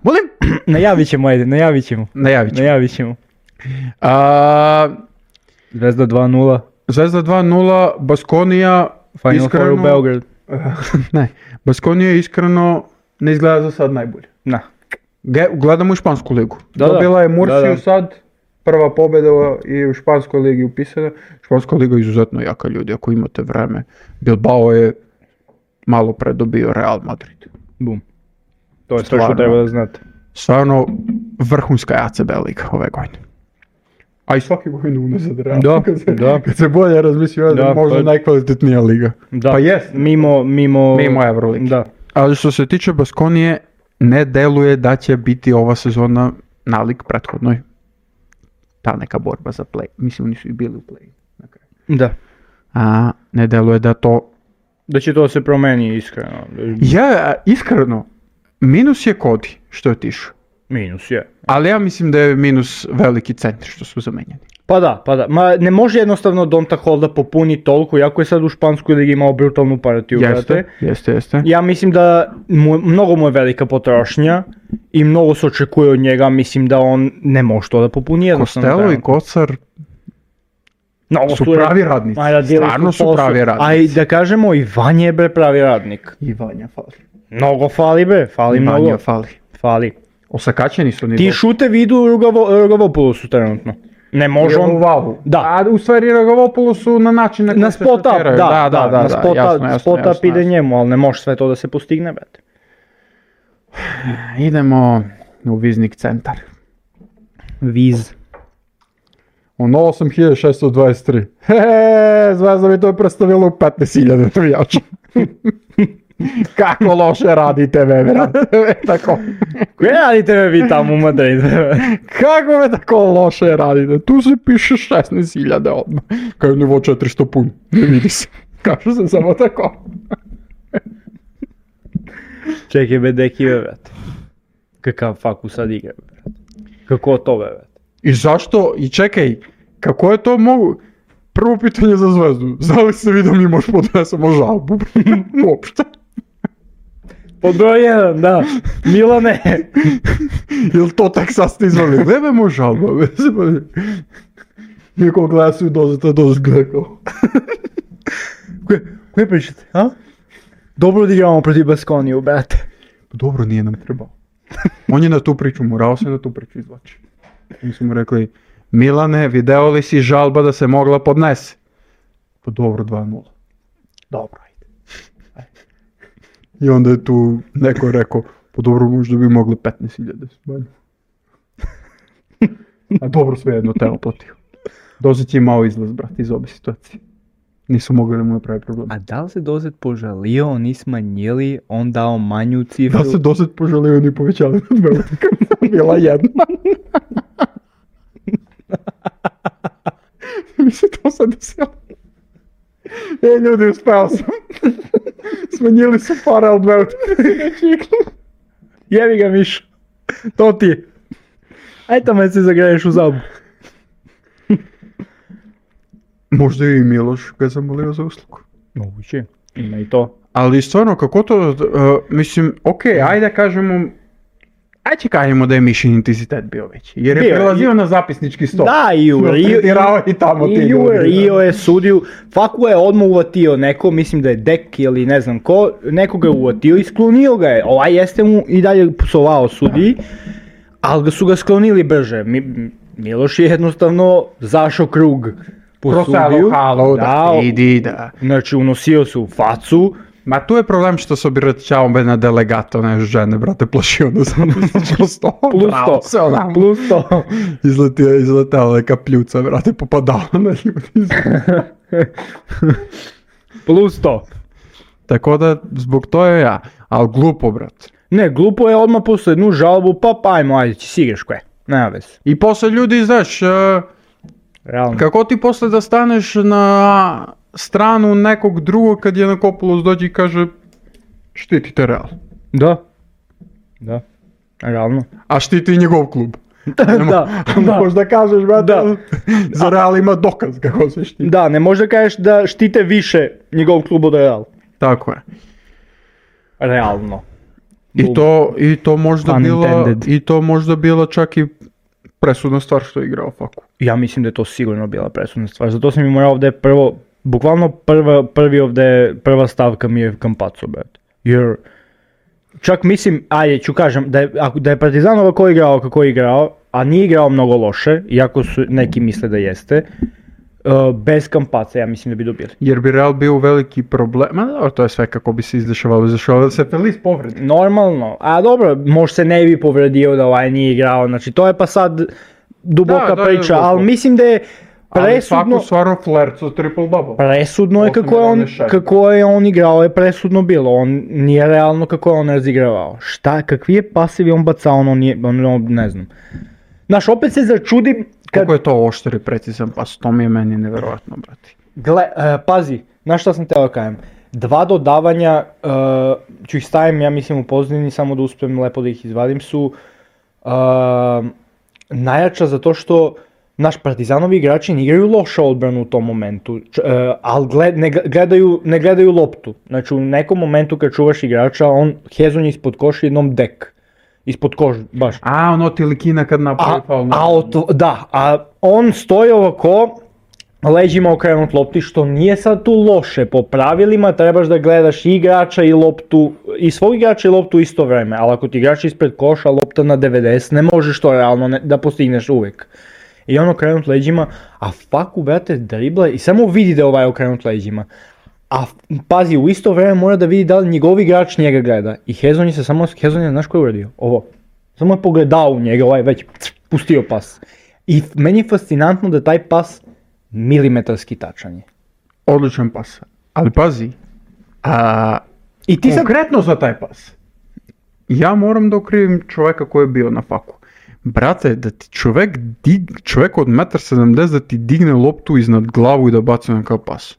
Volim? Najavit ćemo, ajde, najavit ćemo. Najavit ću. Najavit ćemo. A, Zvezda dva nula, Zvezda dva nula, Baskonija, Final iskreno, Four u Beograd. ne, Baskonija iskreno ne izgleda za sad najbolje. Na. Ge- gledamo u Špansku ligu. Da, da. Dobila je Mursiju Da, da. sad, prva pobjeda i u Španskoj ligi upisana. Španska liga je izuzetno jaka, ljudi, ako imate vreme. Bilbao je malo pre dobio Real Madrid. Bum. To je sve što Stvarno. treba da znate. Stvarno vrhunska A C B liga ove godine. A i svake godine unazad Real. Da, kad se, da. Kad se bolje razmislio, da, Da, možda pa- najkvalitetnija liga. Da. Pa jest. Mimo, mimo... Mimo Euroligi. Da. Ali što se tiče Baskonije, ne deluje da će biti ova sezona nalik prethodnoj. Ta neka borba za play. Mislim, oni su i bili u play. Na kraju. Da. A ne deluje da to... Da će to se promeni iskreno. Ja, iskreno, minus je Kodi što je otišao. Minus je. Ali ja mislim da je minus veliki centri što su zamenjeni. Pa da, pa da. Ma ne može jednostavno Donta Hall da popuni toliko, jako je sad u Španskoj ligi imao brutalnu partiju, Jeste, brate. jeste, jeste. Ja mislim da mu, mnogo mu je velika potrošnja i mnogo se očekuje od njega, mislim da on ne može to da popuni jednostavno. Kostelo i trenutno. Kocar Mnogo su je- pravi radnici. Ma, radili Stvarno su posao. pravi A i radnici. da kažemo, i Vanja je bre pravi radnik. I Vanja fali. Mnogo fali bre, fali mnogo. Vanja fali. Fali. Osakaćeni su ni Ti šute vidu Rugavo, Rugavopoulosu trenutno. Ne može on... on... u valu. Da. A u stvari Rugavopoulos su na način na koji Na se spot up, da, šutiraju. da, da, da, na spot up, jasno, jasno, spot up jasno, ide jasno. njemu, ali ne može sve to da se postigne, brate. Idemo u Viznik centar. Viz. Ono osam hiljada šesto dvadeset tri. Heee, Zvezda mi to je predstavilo u petnaest hiljada navijača. Kako loše radite me, brate. Tako. Koje radite me vi tamo u Madridu? Kako me tako loše radite? Tu se piše šesnaest hiljada odmah. Kao je nivo četiristo pun. Ne vidi se. Kaže se samo tako. Čekaj be deki be, brate. Kakav faku sad igra, brate. Kako to be, brate. I zašto? I čekaj, kako je to mogu... Prvo pitanje za Zvezdu. Zna li se vi da mi možeš podnesemo žalbu? Uopšte. Pod broj jedan, da. Milane. Jel to tek sad ste izvali? Glebe mu žalba. Niko gleda su i dozeta doz glekao. Koje, koje pričate, a? Dobro da igramo protiv Baskoniju, brate. Dobro, nije nam trebao. On je na tu priču, morao se na tu priču izvlači. Mi smo mu rekli, Milane, video li si žalba da se mogla podnese? Pa dobro, dva nula. Dobro, ajde. I onda je tu neko rekao, pa dobro, možda bi mogli petnaest hiljada manje. A dobro, sve jedno te oplatio. Dozet je imao izlaz, brat, iz obe situacije. Nisu mogli da mu napravi problem. A da li se Dozet požalio, oni smanjili, on dao manju cifru? Da se Dozet požalio, oni povećali na dve utakmice. Bila jedna. Mi se to sad desilo. E, ljudi, uspeo sam. Smanjili su pare od dve utakmice. Jebi ga, Mišo. To ti je. Aj tamo se zagreješ u zabu. Možda i Miloš ga je zamolio za uslugu. Moguće, ima i to. Ali stvarno, kako to, uh, mislim, okej, okay, ajde kažemo, ajde kažemo da je Mišin intenzitet bio veći, jer je Bio, prelazio i- na zapisnički stol. Da, i u Rio, Tretirao i tamo ti i u ljudi, Rio da. je sudio, Faku je odmah uvatio neko, mislim da je Dek ili ne znam ko, nekoga je uvatio i sklonio ga je. Ovaj jeste mu i dalje psovao sudiji, ali ga su ga sklonili brže. Mi, Miloš je jednostavno zašao krug po Proselo sudiju. halo, da, idi, da. Znači unosio se u facu. Ma tu je problem što se obiračao be na delegato, ne žene, brate, plašio na zapisničko stol. Plus Bravo, to, se onamo. plus to. Izletio, izletala neka pljuca, brate, popadala na ljudi. Plus to. Tako da, zbog to je ja, ali glupo, brate. Ne, glupo je odmah posle jednu žalbu, pa pa ajmo, ajde, si igraš koje. Nema veze. I posle ljudi, znaš, uh, Realno. kako ti posle da staneš na stranu nekog drugog kad je na Kopulos dođe i kaže štitite Real, Da. Da. Realno. a štiti i njegov klub. Da, da. Možda kažeš, brate, Da. za Real ima dokaz kako se štiti. Da, ne možda kažeš da štite više njegov klub od Real. Tako je. Realno. I to, i to možda Pun bila, intended. i to možda bila čak i presudna stvar što je igrao Faku. Ja mislim da je to sigurno bila presudna stvar. Zato sam i morao ovdje prvo, bukvalno prva, prvi ovdje, prva stavka mi je Campazzo, brate. Jer, čak mislim, ajde ću kažem, da je, ako, da je Partizan ovako igrao kako je igrao, a nije igrao mnogo loše, iako su neki misle da jeste, uh, bez Campazza ja mislim da bi dobili. Jer bi Real bio veliki problem, ma dobro, to je sve kako bi se izdešavalo, izdešavalo se Feliz povredi. Normalno, a dobro, možda se ne bi povredio da ovaj nije igrao, znači to je pa sad duboka Da, da, priča, da, ali da. mislim da je Ali presudno, Faku stvarno flerco triple double. presudno je Osam kako je, on, jedanaest šest. kako je on igrao, je presudno bilo, on nije realno kako je on razigravao. Šta, kakvi je pasivi on bacao, ono nije, ono ne znam. Znaš, opet se začudim kad, Kako je to oštar i precizan pas, to mi je meni nevjerojatno, brati. gle, e, pazi, znaš šta sam teo da kažem, dva dodavanja, e, ću ih stavim, ja mislim u pozadini, samo da uspijem lepo da ih izvadim, su e, najjača zato što naš Partizanovi igrači ne igraju loša odbranu u tom momentu, Č, e, ali gled, ne, gledaju, ne gledaju loptu. Znači u nekom momentu kad čuvaš igrača, on Hezon je ispod koša jednom dek. Ispod koša, baš. A, ono ti likina kad napravi A, faul. a od- da, a on stoji ovako, leđima okrenut lopti, što nije sad tu loše. Po pravilima trebaš da gledaš i igrača i loptu, i svog igrača i loptu u isto vreme, ali ako ti igrač ispred koša, lopta na devedeset, ne možeš to realno ne, da postigneš uvijek. I on okrenut leđima, a Faku, brate, dribla i samo vidi da je ovaj okrenut leđima. A pazi, u isto vreme mora da vidi da li njegov igrač njega gleda. I Hezon je se samo, Hezon je, znaš ko je uradio? Ovo. Samo je pogledao u njega, ovaj već pustio pas. I meni je fascinantno da taj pas milimetarski tačan je. Odličan pas. Ali pazi, a, I ti sad... konkretno za taj pas, ja moram da okrivim čoveka koji je bio na Faku. Brate, da ti čovek, dig, čovek od jedan sedamdeset da ti digne loptu iznad glavu i da baci na kao pas.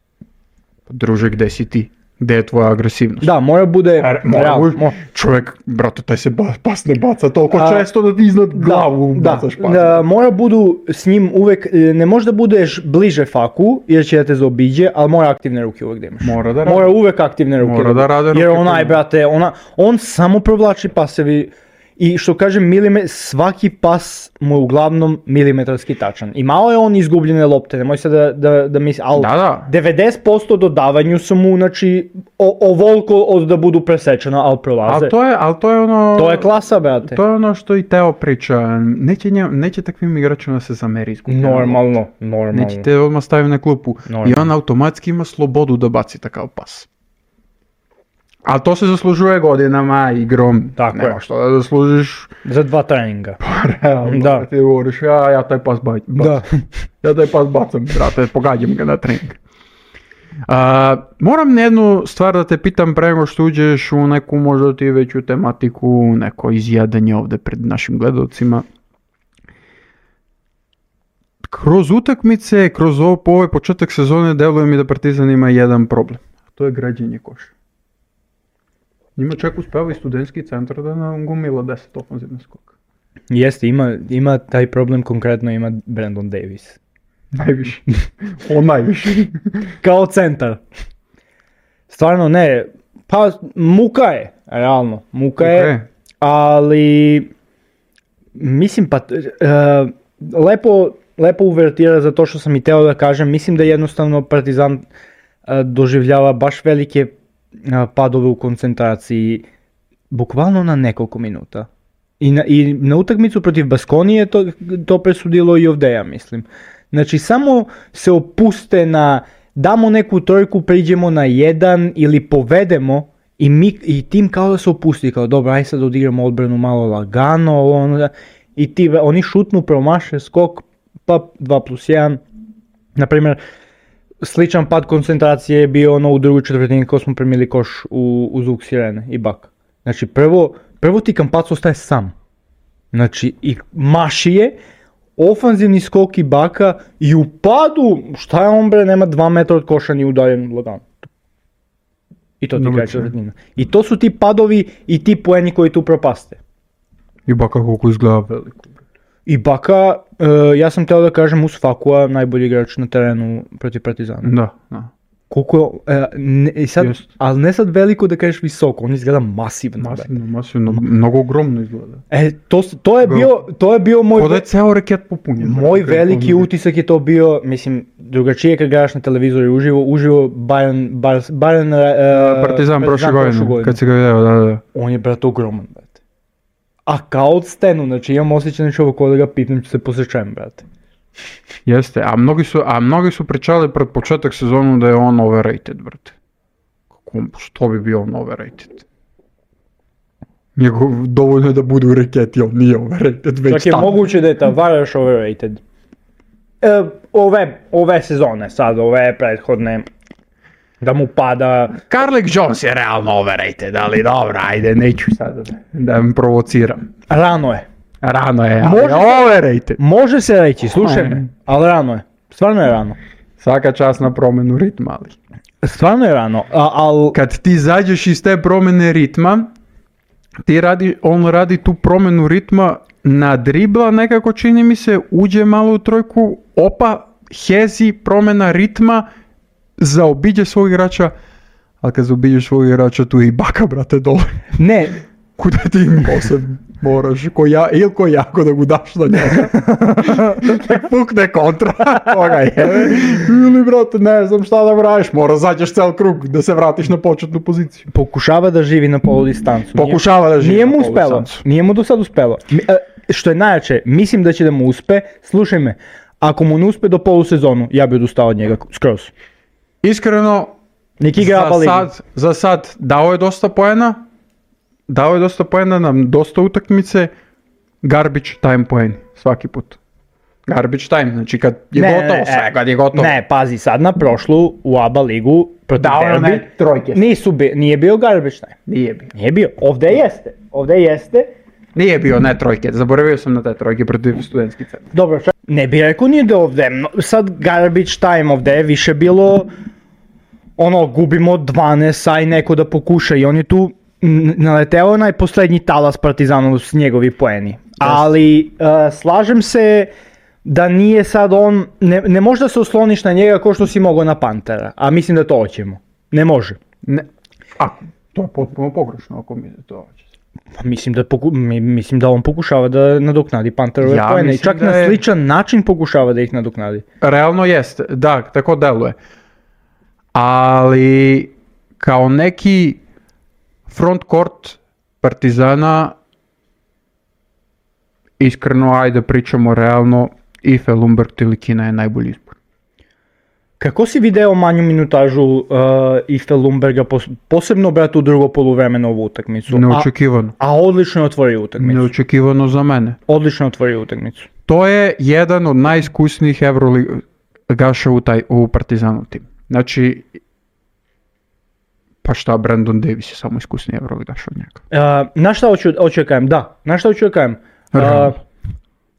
Pa druže, gde si ti? Gde je tvoja agresivnost? Da, mora bude Mora, real, mo- čovjek, brate, taj se ba, pas ne baca toliko A, često da ti iznad glavu da, bacaš pas. da, mora budu s njim uvek, ne može da budeš bliže faku, jer će da te zaobiđe, ali mora aktivne ruke uvek da imaš. Mora da radi. Mora uvek aktivne ruke. Mora da rade ruke Jer onaj, prvo. brate, ona, on samo provlači pasevi i što kažem, milime, svaki pas mu je uglavnom milimetarski tačan. I malo je on izgubljene lopte, nemoj se da, da, da misli, ali Da, da. devedeset posto dodavanju su mu, znači, o, ovoliko od da budu presečena, ali prolaze. Ali to je, ali to je ono... To je klasa, brate. To je ono što i Teo priča. Neće, nje, neće takvim igračima da se zameri izgubljena lopta. Normalno, normalno. Neće te odmah staviti na klupu. Normalno. I on automatski ima slobodu da baci takav pas. Ali to se zaslužuje godinama, igrom. Tako Nema je. što da zaslužiš. Za dva treninga. Realno, Da. ti govoriš, ja, ja taj pas bacam. Da. Ja taj pas bacam, brate, pogađam ga na trening. A, moram jednu stvar da te pitam pre nego što uđeš u neku možda ti veću tematiku, neko izjedanje ovde pred našim gledalcima. Kroz utakmice, kroz ovo, po ovaj početak sezone deluje mi da Partizan ima jedan problem. A to je građenje koša. Njima čak uspeva i studentski centar da nam gomila deset ofanzivna skoka. Jeste, ima, ima taj problem, konkretno ima Brandon Davis. Najviše. On najviše. Kao centar. Stvarno ne, pa muka je, realno, muka je, Ok. ali mislim pa, uh, lepo, lepo uvertira za to što sam i teo da kažem, mislim da jednostavno Partizan uh, doživljava baš velike uh, padove u koncentraciji, bukvalno na nekoliko minuta. I na, i na utakmicu protiv Baskonije to, to presudilo i ovdje, mislim. Znači, samo se opuste na, damo neku trojku, priđemo na jedan ili povedemo i, mi, i tim kao da se opusti, kao dobro, aj sad odigramo odbranu malo lagano, ono da, i ti, oni šutnu, promaše skok, pa dva plus jedan. Naprimjer, sličan pad koncentracije je bio ono u drugoj četvrtini ko smo primili koš u, u zvuk sirene i bak. Znači, prvo, prvo ti Campazzo ostaje sam. Znači, i maši je, ofanzivni skok i baka i u padu, šta je on bre, nema dva metra od koša ni udaljen lagano. I to ti Dobro, kraj četvrtina. I to su ti padovi i ti poeni koji tu propaste. I baka koliko izgleda veliko. I baka, uh, ja sam teo da kažem uz Fakua najbolji igrač na terenu protiv Partizana. Da, da. Koliko, e, ne, i sad, Jest. ali ne sad veliko da kažeš visoko, on izgleda masivno. Masivno, masivno, mnogo ogromno izgleda. E, to, s- to, je Go- bio, to je bio moj... Ko da je ceo reket popunjen. Moj brate, veliki ono- utisak je to bio, mislim, drugačije kad gledaš na televizoru i uživo, uživo Bayern, Bar- Bayern uh, Partizan prošle godine, kad se ga video, da, da. On je, brate, ogroman, brate. A kao od stenu, znači imam osjećaj na čovjek da ga pitam, ću se posjećajem, brate. Jeste, a mnogi su, a mnogi su pričali pred početak sezonu da je on overrated, brate. Kako, što bi bio on overrated? Njegov, dovoljno je da bude u reketi, on nije overrated, već Čak je tad. moguće da je Tavares overrated. E, ove, ove sezone, sad, ove prethodne, da mu pada... Carlik Jones je realno overrated, ali dobro, ajde, neću sad da im provociram. Rano je. Rano je, ali Može je se- overrated. Može se reći, slušaj me, ali rano je. Stvarno je rano. Svaka čast na promjenu ritma, ali. Stvarno je rano, a, al... Kad ti izađeš iz te promjene ritma, ti radi, on radi tu promjenu ritma na dribla, nekako čini mi se, uđe malo u trojku, opa, hezi, promjena ritma, zaobiđe svog igrača, ali kad zaobiđeš svog igrača, tu je i baka, brate, dole. Ne, Kuda ti posebno moraš, ko ja, ili ko jako da ga daš na njega. Nek pukne kontra, koga je. Ili, brate, ne znam šta da radiš, mora zađeš cel krug da se vratiš na početnu poziciju. pokušava da živi na polu distancu. Pokušava da živi Nije na mu polu uspelo, distancu. nije mu do sad uspelo. Mi- e, Što je najjače, mislim da će da mu uspe, slušaj me, ako mu ne uspe do polusezonu, ja bi odustao od njega skroz. Iskreno, Nek igra za Aba ligu. sad, za sad dao je dosta poena, dao je dosta poena na dosta utakmice, garbage time poeni, svaki put. Garbage time, znači kad je Ne, gotovo ne, sve, e, kad je gotovo. Ne, pazi, sad na prošlu u Aba ligu protiv Dao je Derbi, one trojke. nisu bi, nije bio garbage time. Nije bio. Nije bio, ovdje jeste, ovdje jeste. Nije bio, ne trojke, zaboravio sam na te trojke protiv studentskih centra. Dobro, čak, ne bi rekao nije da ovdje, no, sad garbage time ovdje je više bilo ono, gubimo dvanaest, aj neko da pokuša i on je tu n- naleteo onaj poslednji talas Partizanov s njegovi poeni. Ali uh, slažem se da nije sad on, ne, ne može da se osloniš na njega kao što si mogao na Pantera, a mislim da to hoćemo. Ne može. Ne, a, to je potpuno pogrešno ako mi to hoće. Pa mislim da, poku, mi, mislim da on pokušava da nadoknadi Panterove Ja poene i mislim čak da na je- sličan način pokušava da ih nadoknadi. Realno jeste, da, tako deluje. Ali kao neki front court Partizana, iskreno, ajde pričamo realno, Ife Lundberg Tilikina je najbolji izbor. Kako si video manju minutažu uh, Ife Lundberga, pos- posebno brate u drugo poluvremeno ovu utakmicu? A, Neočekivano. a odlično je otvorio utakmicu. Neočekivano za mene. Odlično je otvorio utakmicu. To je jedan od najiskusnijih Evroligaša u, taj, u Partizanov tim. Znači, pa šta, Brandon Davis je samo iskusniji Evroligaš od njega. Uh, na šta hoću, hoću da kažem? Da, na šta hoću da kažem? Uh, Realno.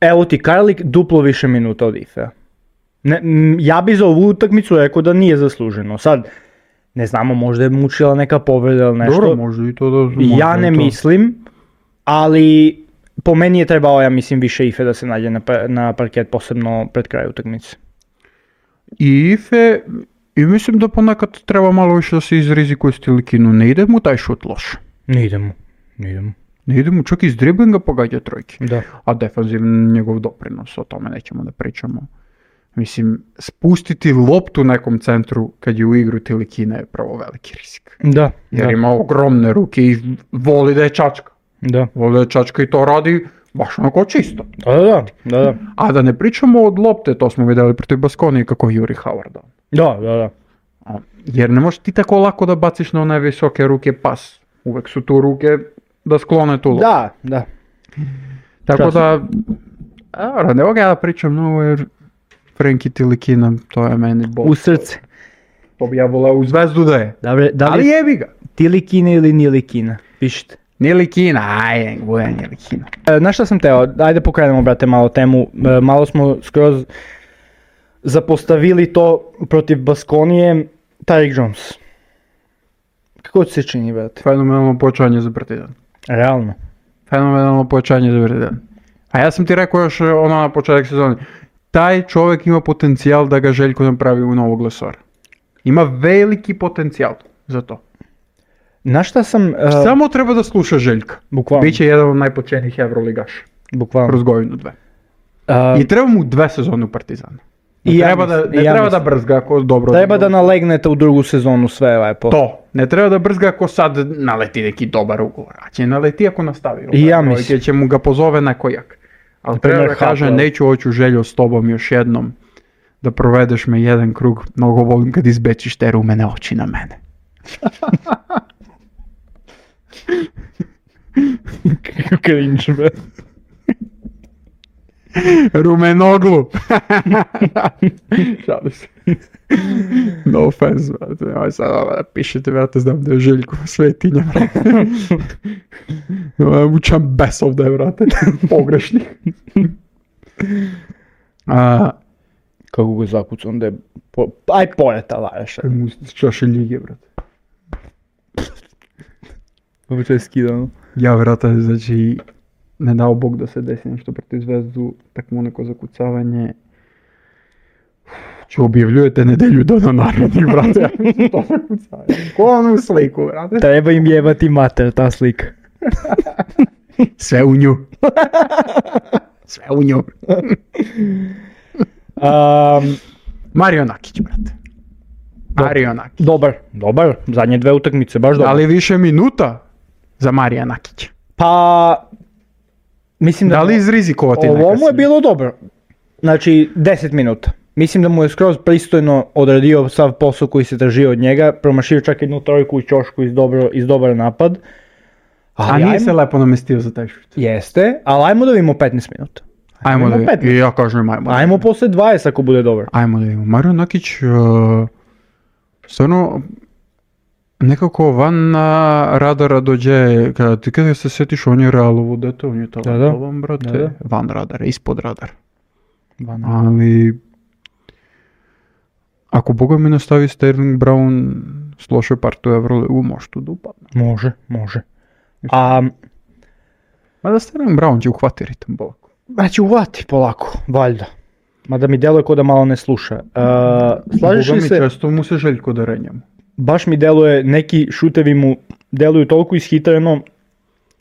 evo ti Karlik duplo više minuta od Ifea. Ne, m, ja bi za ovu utakmicu rekao da nije zasluženo. Sad, ne znamo, možda je mučila neka povreda ili nešto. Dobro, može i to da... Ja može ne i to. mislim, ali po meni je trebao, ja mislim, više Ife da se nađe na, pa- na parket, posebno pred kraj utakmice. I Ife, i mislim da ponekad treba malo više da se izrizikuje s Tilikinu. Ne ide mu taj šut loš. Ne idemo, ne idemo. Ne ide mu čak iz driblinga pogađa trojke. Da. A defanzivni njegov doprinos, o tome nećemo da pričamo. Mislim, spustiti loptu nekom centru kad je u igru Tilikina je pravo veliki rizik. Da, Jer da, ima ogromne ruke i voli da je čačka. da. Voli da je čačka i to radi baš onako čisto. Da, da, da, da. A da ne pričamo od lopte, to smo vidjeli protiv Baskonije kako juri Howarda. Da, da, da. A, Jer ne možeš ti tako lako da baciš na one visoke ruke pas. Uvek su tu ruke da sklone tu loptu. Da, da. Tako časno. da, a, ne mogu ja da pričam mnogo jer Frenki Tilikina, to je meni bol. U srce. To bi ja volao u Zvezdu da je. Dobre, da Ali li jebi ga. Tilikina ili Nilikina? Pišite. Nilikina, ajde, bude Nilikina. E, na šta sam teo? Ajde pokrenemo, brate, malo temu. E, malo smo skroz zapostavili to protiv Baskonije. Tyreek Jones. Kako ti se čini, brate? Fenomenalno pojačanje za Partizan. Realno. Fenomenalno pojačanje za Partizan. A ja sam ti rekao još ono na početak sezoni. Taj čovjek ima potencijal da ga Željko napravi u novog lesora. Ima veliki potencijal za to. Na šta sam... e, Samo treba da sluša Željka. Bukvalno. Biće jedan od najpočenijih Evroligaša. Bukvalno. Kroz godinu dve. E, I treba mu dve sezone u Partizanu. Ne I ja treba, mislim- da, ne i ja treba da mislim. brzga ako dobro... treba da nalegnete u drugu sezonu sve lepo. To. Ne treba da brzga ako sad naleti neki dobar ugovor. A će naleti ako nastavi. I ja Ovaj, mislim. Jer će mu ga pozove neko jak. Ali Na primer, treba da kaže, Hartwell. neću hoću Željo s tobom još jednom da provedeš me jedan krug. Mnogo volim kad izbečiš te rumene oči na mene. Kako cringe, bre. Rumenoglu. Šalim se. No offense, brate. Aj sad ovo da pišete, brate, znam da je Željko svetinja, brate. Učam bes ovdje, brate. Pogrešnih. A, Kako ga zakucam da je... Po... Aj poleta, laješ. mu s čaše ljige, brate. Ovo je skidano. Ja, brate, znači, ne dao Bog da se desi nešto protiv Zvezdu, takvo neko zakucavanje. Če objavljujete nedelju dana narednih, brate, to zakucavanje. Ko onu sliku, brate? Treba im jebati mater, ta slika. Sve u nju. Sve u nju. Um, Mario Nakić, brate. Mario Nakić. dobar, dobar. Zadnje dve utakmice, baš Da dobar. li više minuta za Marija Nakića? Pa... Mislim da... Da li izrizikovati neka Ovo mu je si? bilo dobro. Znači, deset minuta. Mislim da mu je skroz pristojno odradio sav posao koji se tražio od njega. Promašio čak jednu trojku u ćošku iz, dobro, iz dobar napad. A Ali nije ajmo- se lepo namestio za taj šut. Jeste, ali ajmo da vidimo petnaest minuta. Ajmo da Ajmo vidimo. petnaest. I ja kažem ajmo. da Ajmo vidimo. posle dvadeset ako bude dobar. Ajmo da vidimo. Mario Nakić, uh, stvarno, nekako van na radara dođe, kada ti kada se sjetiš, on je Realovo dete, on je talentovan, brate. Da, da. Van radara, ispod radara. Van. Ali, Ако Бога ми настави Стерлинг Браун с лоша парта у Евролигу, може да упадне. Може, може. А, Mada Stерлинг Браун će uhvati ritam polako. znači uvati polako, valjda. Mada mi deluje ko da malo ne sluša. A, slažeš Boga li mi se, često mu se Željko da renjamo. baš mi deluje, neki šutevi mu deluju toliko ishitreno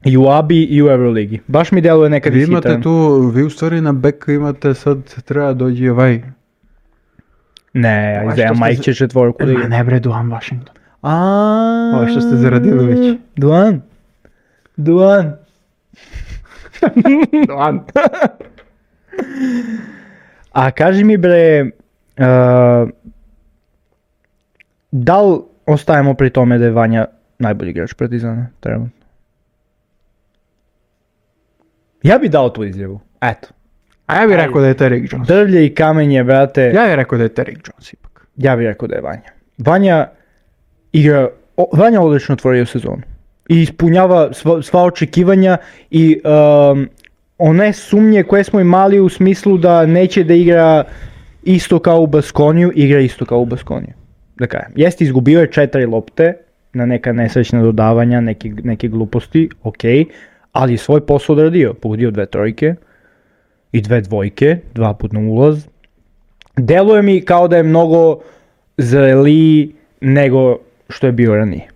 i u A B I i u Euroligi. Baš mi deluje nekad Vi ishitreno. imate tu, vi u stvari na beka imate sad, treba dođi ovaj... Ne, Ovaj Isaiah što ste Mike za- će četvorku da Ma igra. ne bre, Duan Washington. A, Ovo što ste zaradili već. Duan. Duan. Duan. A kaži mi bre, uh, da li ostajemo pri tome da je Vanja najbolji igrač Partizana trenutno? Ja bi dao tu izjavu, eto. A ja bih rekao da je Derrick Jones. Drvlje i kamenje, brate, ja, Ja bih rekao da je Derrick Jones ipak. ja bih rekao da je Vanja. Vanja igra, o, Vanja odlično otvorio sezonu. I ispunjava sva, sva očekivanja i um, one sumnje koje smo imali u smislu da neće da igra isto kao u Baskoniju, igra isto kao u Baskoniju. Da kažem, jeste izgubio je četiri lopte na neka nesrećna dodavanja, neke, neke gluposti, ok, ali je svoj posao odradio, pogodio dve trojke i dve dvojke, dva put na ulaz. Deluje mi kao da je mnogo zreliji nego što je bio ranije.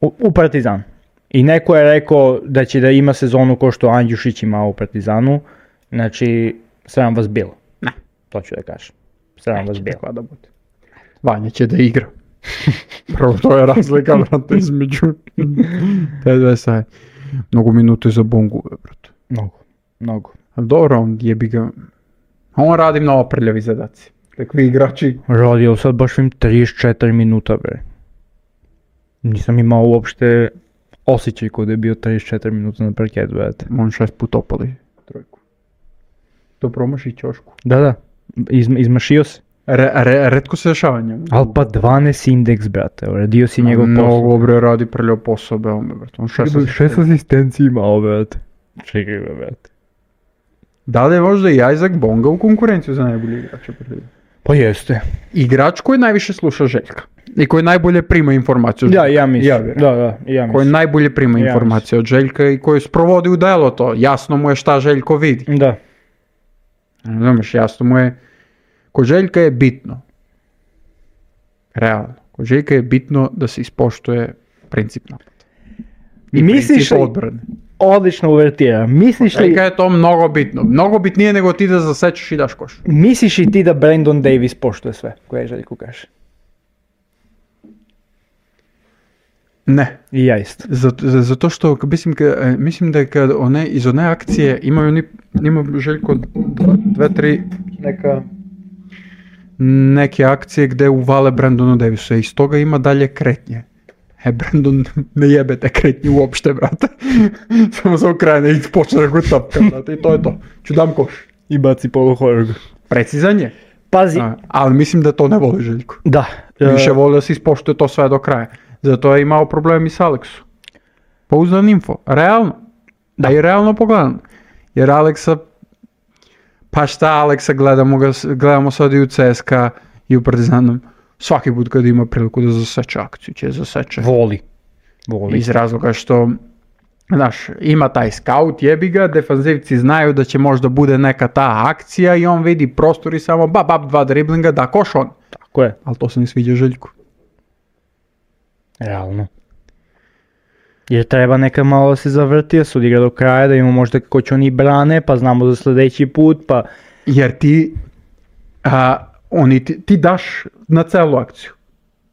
U, u Partizanu. I neko je rekao da će da ima sezonu ko što Andjušić imao u Partizanu. Znači, sram vas bilo. Ne. To ću da kažem. Sram vas bilo. Takva da bude. Vanja će da igra. Prvo to je razlika, brate, između te dve saje. Mnogo minute za Bongu, brate. Mnogo, mnogo. Ali dobro, on jebi ga. On radi mnogo prljavi zadaci. Takvi igrači. Radio sad baš im trideset četiri minuta, bre. Nisam imao uopšte osjećaj kod je bio trideset četiri minuta na parketu, brate. On šest put opali trojku. To promaši ćošku. Da, da. Izma, izmašio se. Re, re, retko se dešava njemu. Al pa dvanaest indeks, brate. Radio si njegov posao. Mnogo bre radi prljav posao, beome, brate. On šest Šest asistencija imao, brate. Čekaj ga, brate. Da li je možda i Isaac Bonga u konkurenciju za najbolji igrača? Pa jeste. Igrač koji najviše sluša Željka. I koji najbolje prima informaciju od Da, Željka. ja mislim. Ja bih da, da, ja Koji mislim. najbolje prima Ja informacije od Željka i koji sprovodi u delo to. Jasno mu je šta Željko vidi. Da. Znaš, jasno mu je. Kod Željka je bitno. Realno. Kod Željka je bitno da se ispoštuje princip napada. I Misliš princip li- odbrane. Odlično uvertira. Misliš li, Željka je to mnogo bitno. Mnogo bitnije nego ti da zasečeš i daš koš. misliš i ti da Brandon Davis poštuje sve koje Željko kaže? Ne. I ja isto. Zato, zato što mislim, ka, mislim da kad one, iz one akcije imaju oni, ima Željko dva, dve, tri neka neke akcije gde uvale Brandonu Davisu i iz toga ima dalje kretnje. E, Brandon ne jebe te kretnje uopšte, brate. Samo se okrene i počne da go tapka, brate, i to je to. Ću dam koš. I baci polu horgu. Precizan je, Pazi, a, ali mislim da to ne voli Željko. da. Više e, voli da se ispoštuje to sve do kraja. Zato je imao problem i s Aleksu. Pouzdan info. Realno. Da i realno pogledano. Jer Aleksa, pa šta Aleksa, gledamo, ga, gledamo sad i u C S K A i u Partizanom. Svaki put kad ima priliku da zaseče akciju, će zaseče. Voli. Voli. Iz razloga što, znaš, ima taj scout, jebi ga, defanzivci znaju da će možda bude neka ta akcija i on vidi prostor i samo bab, bab, dva driblinga, da koš on. Tako je. Ali to se ne sviđa Željku. Realno. Jer treba neka malo da se zavrti, da se odigra do kraja, da imamo možda kako će oni brane, pa znamo za sljedeći put, pa... Jer ti, a, oni, ti, ti daš na celu akciju.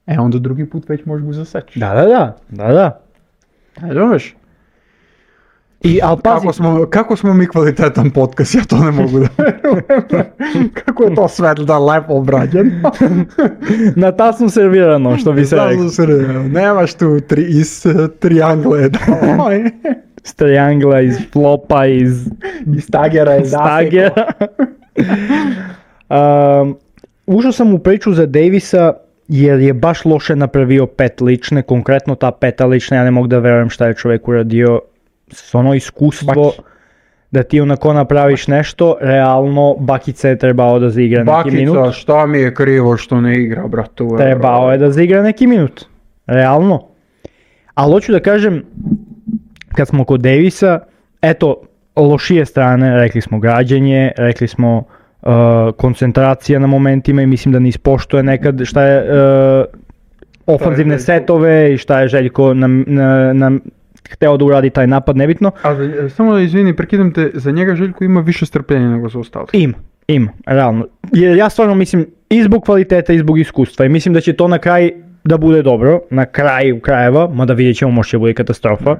E onda drugi put već možeš ga zaseći. Da, da, da, da, da. E, razumeš? I, al pazi, Kako smo, kako smo mi kvalitetan podcast, ja to ne mogu da verujem. Kako je to sve da lepo obrađeno. na tasnu servirano, što bi se rekao. Znam se, nemaš tu tri, iz triangle. Iz triangla, iz flopa, iz Iz tagera je stagera. um, ušao sam u priču za Davisa jer je baš loše napravio pet lične, konkretno ta peta lična, ja ne mogu da verujem šta je čovjek uradio, s ono iskustvo, Baš. da ti onako napraviš nešto, realno Bakica je trebao da zaigra neki minut. Bakica, šta mi je krivo što ne igra, brate? u Trebao Euro? je da zaigra neki minut, realno. Ali hoću da kažem, kad smo kod Davisa, eto, lošije strane, rekli smo građenje, rekli smo uh, koncentracija na momentima i mislim da ne ispoštuje nekad šta je uh, ofanzivne Željko. setove i šta je Željko nam, na, nam hteo da uradi taj napad, nebitno. A za- samo da izvini, prekidam te, za njega Željko ima više strpljenja nego za ostali. Ima, ima, realno. Jer ja stvarno mislim i zbog kvaliteta i zbog iskustva i mislim da će to na kraj da bude dobro, na kraju krajeva, mada vidjet ćemo, možda će bude katastrofa.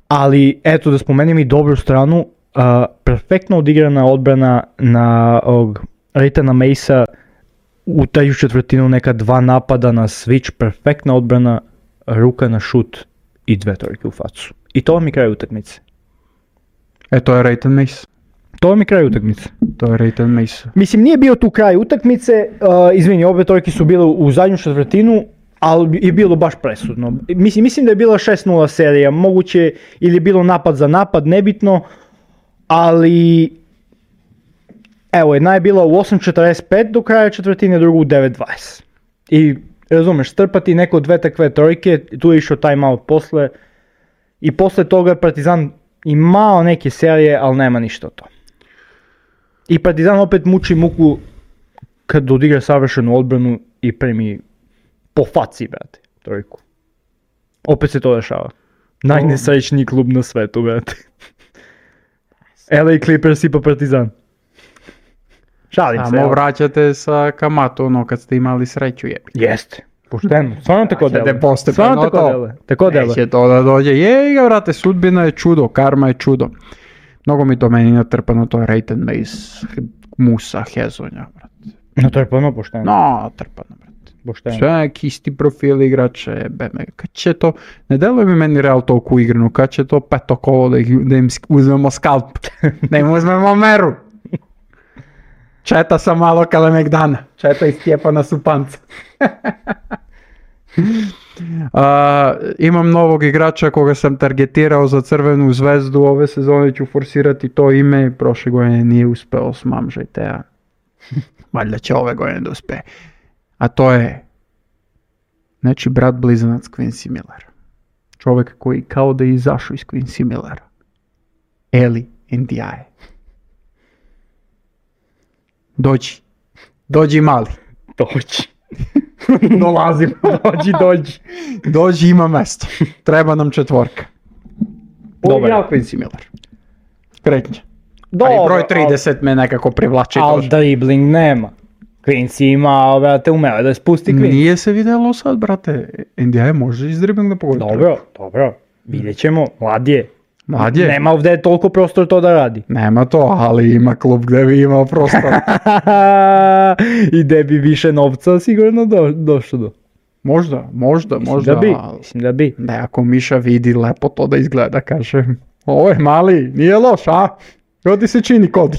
Ali eto da spomenem i dobru stranu, uh, perfektno odigrana odbrana na ovog Reitana Macea u taj četvrtinu, neka dva napada na switch, perfektna odbrana, ruka na šut i dve trojke u facu. I to vam je kraj utakmice. E, to je Reitan Mace. To vam je kraj utakmice. To je Reitan Mace. Mislim, nije bio tu kraj utakmice, uh, izvini, obe trojke su bile u zadnju četvrtinu, ali je bilo baš presudno. Mislim, mislim da je bila šest nula serija, moguće ili je bilo napad za napad, nebitno, ali evo, jedna je bila u osam četrdeset pet do kraja četvrtine, drugu u devet dvadeset. I razumeš, strpati neko dve takve trojke, tu je išao timeout posle i posle toga je Partizan imao neke serije, ali nema ništa od toga. I Partizan opet muči muku kad odigra savršenu odbranu i primi po faci, brate, trojku. Opet se to dešava. Najnesrećniji klub na svetu, brate. L A Clippers i pa Partizan. Šalim se. Samo evo. vraćate sa kamatu ono kad ste imali sreću jebi. Jeste. Pošteno. Stvarno tako Vraćate deluje. postepeno Stvarno tako to. deluje. Tako deluje. Neće to da dođe. Jej ga, vrate, sudbina je čudo, karma je čudo. Mnogo mi to meni natrpano, to je Reitan Mace, Musa, Hezonja, brate. No to je puno pošteno. No, trpano, brate. Pošteno. Sve neki isti profil igrače, beme, kad će to, ne deluje mi meni Real toliko igrano, kad će to peto kolo da, ih, da im sk- uzmemo skalp, da im uzmemo meru. Četa sam malo Kalemegdana, četa iz Stjepana Supanca. A, imam novog igrača koga sam targetirao za Crvenu zvezdu, ove sezone ću forsirati to ime, prošle godine nije uspeo, smamžajte, a valjda će ove godine da uspe. A to je, znači, brat blizanac Quincy Miller. Čovjek koji kao da je izašao iz Quincy Millera. Eli Ndiaye. Dođi. Dođi mali. Dođi. Dolazim. Dođi, dođi. Dođi, ima mesto. Treba nam četvorka. Dobar. Poigrao Quincy Miller. Kretnje. Pa i Dobro, broj trideset me nekako privlači. ali tože. dribbling nema. Quincy ima, brate, umeo da spusti Quincy. Nije se vidjelo sad, brate. Ndiaye može iz dribling da pogodi. Dobro, dobro. Vidjet ćemo, mlad je. Mlad je. Nema ovdje toliko prostor to da radi. Nema to, ali ima klub gdje bi imao prostor. I gde bi više novca sigurno do, došlo do. Možda, možda, Mislim možda. da bi, ali mislim da bi. Ne, ako Miša vidi lepo to da izgleda, kaže, ovo je mali, nije loš, a? Kako ti se čini, Kodi?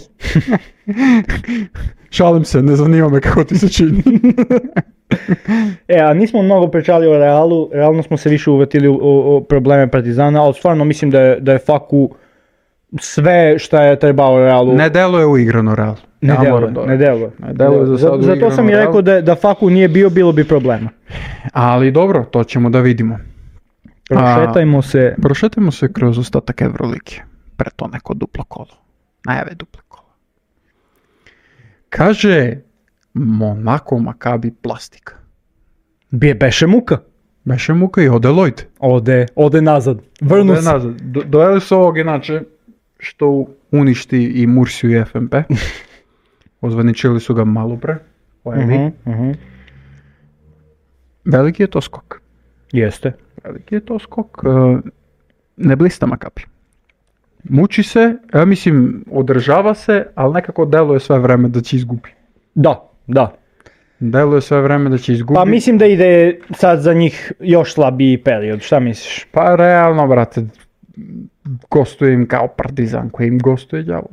Šalim se, ne zanima me kako ti se čini. E, a nismo mnogo pričali o Realu, realno smo se više uvetili u, u, u probleme Partizana, ali stvarno mislim da je, da je Faku sve šta je trebao Realu. Ne deluje uigrano Real. Ne Ja deluje, moram da- ne deluje. Ne deluje za sad Zato, zato uigrano sam i Real. rekao da, da Faku nije bio, bilo bi problema. Ali dobro, to ćemo da vidimo. Prošetajmo se. Prošetajmo se kroz ostatak Eurolike. Pre to neko duplo kolo. Najave duplo kolo. Kaže Monaco Maccabi plastika. Bije beše muka. Beše muka i ode Lloyd. Ode, ode nazad. Vrnu Ode se. nazad. Do- Dojeli su ovog inače što uništi i Mursiju i F M P. Ozvaničili su ga malo pre. Ojevi. Mhm, mhm. Veliki je to skok. Jeste. Veliki je to skok. e, Ne blista Maccabi. Muči se, ja mislim, održava se, ali nekako deluje sve vreme da će izgubi. Da, da. Deluje sve vreme da će izgubi. Pa mislim da ide sad za njih još slabiji period, šta misliš? Pa realno, brate, gostuje im kao Partizan koji im gostuje đavo.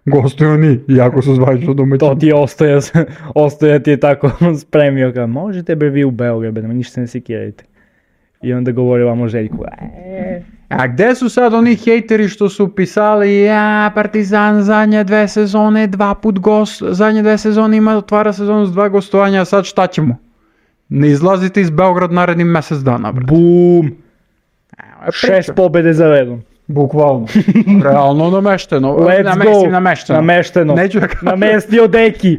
Gostuju oni, iako su zvanično domaćini. To ti je ostaje, ostaje ti je tako spremio kao, možete bre vi u Beograd, bre, ništa se ne sekirajte. I onda govori ovamo Željku. E, A gde su sad oni hejteri što su pisali ja, Partizan zadnje dve sezone, dva put gost, zadnje dve sezone ima, otvara sezonu s dva gostovanja, a sad šta ćemo? Ne izlazite iz Beograd narednim mjesec dana, brate. Bum! Evo, Šest pobjede za redom. Bukvalno. Realno namešteno. Let's Na, go! mislim, namešteno. Namešteno. Neću da kažem. Namestio deki.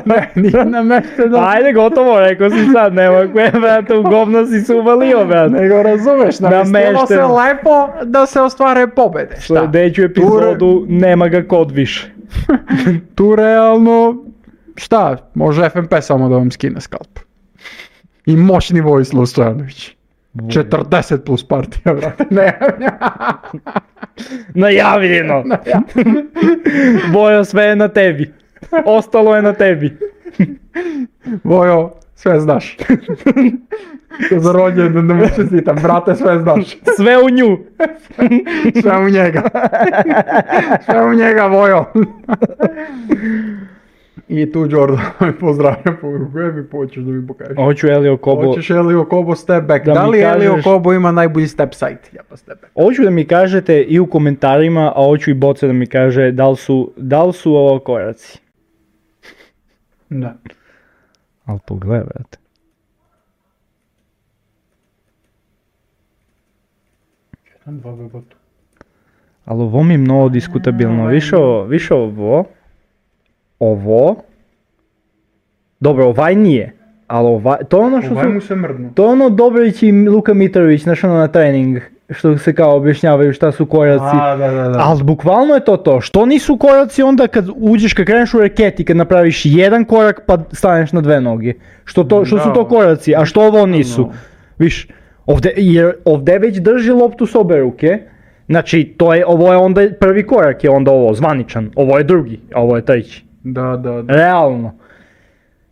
Ne, nije namešteno. Ajde, gotovo, rekao si sad, nema koje, brate, u govno si se uvalio, brate. Nego razumeš, namestilo se Namešteno. lepo da se ostvare pobede. Šta? Sljedeću epizodu nema ga kod više. Tu realno, šta, može F M P samo da vam skine skalp. I moćni Vojislav Stojanović. četrdeset plus partija, brate. Ne, Najavljeno. Bojo, sve je na tebi. Ostalo je na tebi. Vojo, sve znaš. Za rođendan da mu čestitam, brate, sve znaš. Sve u nju. Sve u njega. Sve u njega, Vojo. I tu Jordan pozdravlja poruku, koje mi počeš da mi pokažeš? Hoću Elio Kobo. Hoćeš Elio Kobo step back. Da Da, mi li Elio kažeš- Kobo ima najbolji step side? Ja pa step back. Hoću da mi kažete i u komentarima, a hoću i Boce da mi kaže da li su, da li su ovo koraci. Da. Ali pogledaj, brate. Jedan, dva, bebotu. Ali ovo mi je mnogo diskutabilno. Više, ovo- više ovo. Ovo. Dobro, ovaj nije. Ali ovaj, to je ono što Ovaj su... mu se mrdnu. To je ono Dobrić i Luka Mitrović, znaš ono na trening, što se kao objašnjavaju šta su koraci. A, da, da, da. Ali bukvalno je to to. Što nisu koraci onda kad uđeš, kad kreneš u reketi, kad napraviš jedan korak pa staneš na dve noge? Što, to, što su Da. to koraci, a što ovo nisu? No. Viš, ovde, jer ovde već drži loptu s obe ruke. Znači, to je, ovo je onda prvi korak, je onda ovo zvaničan. Ovo je drugi, a ovo je treći. Da, da, da. Realno.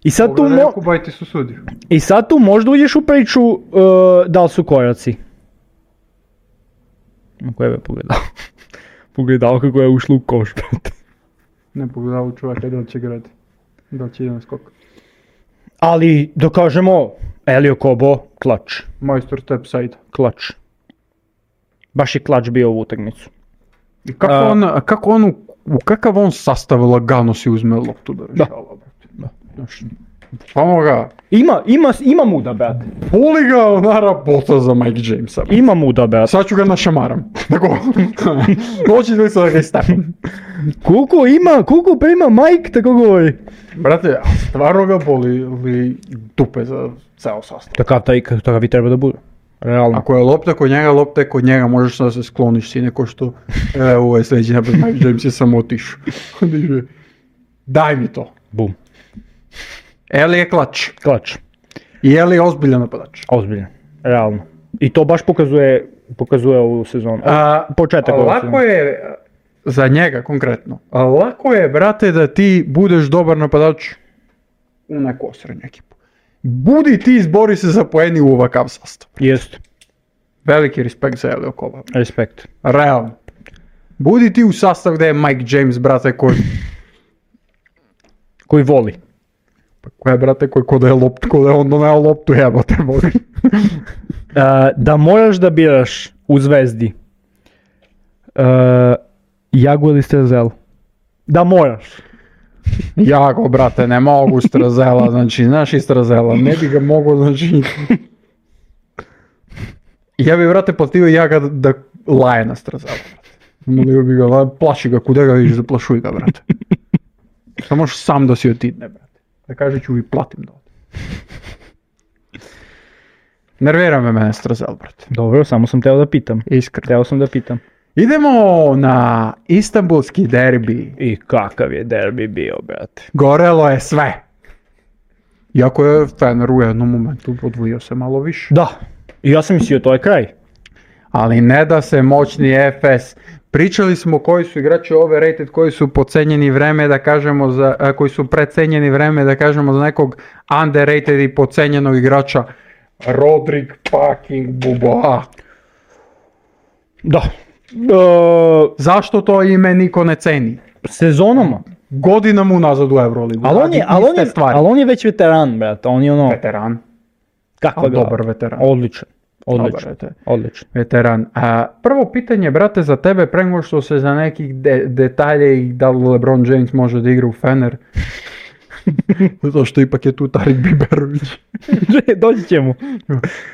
I sad, tu Pogledaj mo- ako bajti su sudio. I sad tu možda uđeš u priču uh, da li su koraci. Na koje me pogledao? Pogledao kako je ušlo u koš, brate. Ne pogledao čovjeka da li će grati. Da li će jedan skok. Ali, da kažemo, Elio Kobo, klač. Majstor step side. Klač. Baš je klač bio u utakmicu. I kako A- on, a kako on, u, u kakav on sastav lagano si uzme loptu da rešava, brate. Da. Znaš, samo ga, Ima, ima, ima muda, brate. puli ga ona rabota za Mike Jamesa. brate. Ima muda, brate. Sad ću ga našamaram. Tako, noći li se da ga istepam. Koliko ima, koliko prima Mike, tako govori. Brate, a stvarno ga boli li dupe za ceo sastav. Takav, taj, takav i treba da bude. Realno. Ako je lopta kod njega, lopta je kod njega, možeš da se skloniš si neko što, e, ovo je sljedeći napad, Mike James je samo otišao. Diže, daj mi to. Bum. Eli je klač. Klač. I Eli je ozbiljan napadač. Ozbiljno. Realno. I to baš pokazuje, pokazuje ovu sezonu. A, Početak ove lako sezone. je, za njega konkretno, a lako je, brate, da ti budeš dobar napadač u neku osrednju ekipu. Budi ti, izbori se za poeni u ovakav sastav. Jest. Veliki respekt za Elio Koba. Respekt. Realno. Budi ti u sastav gdje je Mike James, brate, koji... Koji voli. Pa koja je, brate, koji ko da je loptu, ko da je on doneo loptu, jebote, voli. Uh, da moraš da biraš u Zvezdi uh, Jagu ili Strezel. Da moraš. Jago, brate, ne mogu Strazela, znači, znaš i Strazela, ne bi ga mogo, znači... Ja bi, brate, platio Jaga da, da laje na Strazela, brate. Molio bi ga, la- plaši ga, kuda ga vidiš, zaplašuj ga, brate. Samo možeš sam da si otidne, brate. Da kaže ću i platim da ode. Nervira me mene Strazel, brate. Dobro, samo sam teo da pitam. Iskreno. Teo sam da pitam. Idemo na istanbulski derbi. I kakav je derbi bio, brate. Gorelo je sve. Iako je Fener u jednom momentu odvojio se malo više. Da. I ja sam mislio, to je kraj. Ali ne da se moćni F S. Pričali smo koji su igrači overrated, koji su podcenjeni vreme da kažemo za, a, koji su precenjeni vreme da kažemo za nekog underrated i podcenjenog igrača. Rodrik fucking Buba. Da. Uh, Zašto to ime niko ne ceni? sezonama. Godinama unazad u Euroligu. Ali on, je, radi ali, on iste je, stvari. ali on je već veteran, brate. On je ono... Veteran. Kakva Ali glava? dobar veteran. Odličan. Dobar Odličan. veteran. Odličan. Veteran. A, prvo pitanje, brate, za tebe, pre nego što se za nekih de- detalje i da li LeBron James može da igra u Fener. Zato što ipak je tu Tarik Biberović. Doći ćemo.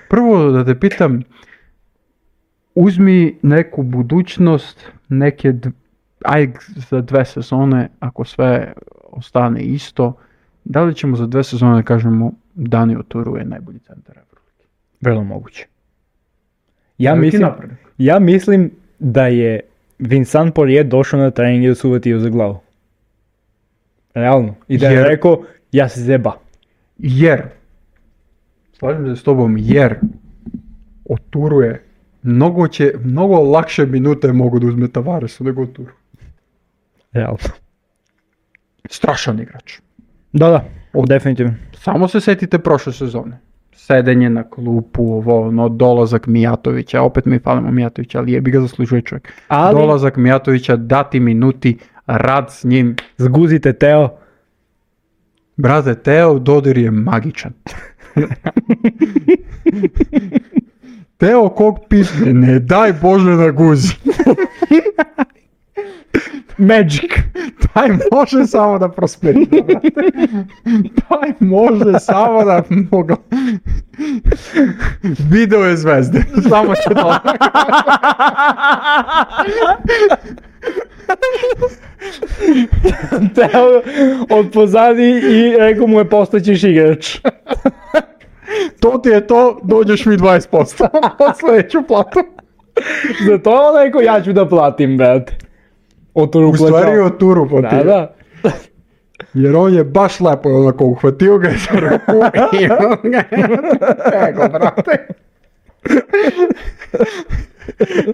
Prvo da te pitam, uzmi neku budućnost, neke, d- aj za dve sezone, ako sve ostane isto, da li ćemo za dve sezone da kažemo Dani Oturu je najbolji centar Evrolige? Vrlo moguće. Ja Veliki mislim, napredak. ja mislim da je Vincent Poirier došao na trening i da su uvatio za glavu. Realno. I da je Jer- rekao, ja se zeba. Jer, slažem se s tobom, jer Oturu je mnogo će, mnogo lakše minute mogu da uzme Tavaresu nego Oturu. Realno. Strašan igrač. Da, da. Definitivno. Samo se setite prošle sezone. Sedenje na klupu, ovo, ono, dolazak Mijatovića, opet mi falimo Mijatovića, ali jebi ga zaslužuje čovjek. Ali- Dolazak Mijatovića, dati minuti, rad s njim. Zguzite Teo. Brate, Teo Dodir je magičan. Teo kog pisne, ne daj Bože na guzi. Magic. Taj može samo da prosperira, brate. Taj može samo da mogu. Video je zvezde. Samo će to. Teo od pozadi i rekao mu je postaćeš igrač. To ti je to, dođeš mi dvadeset posto. Od sledeću platu. Zato je on rekao, ja ću da platim, brate. Oturu U stvari od Turu Da, potio. da. Jer on je baš lepo onako uhvatio ga za ruku i on ga je tego, brate.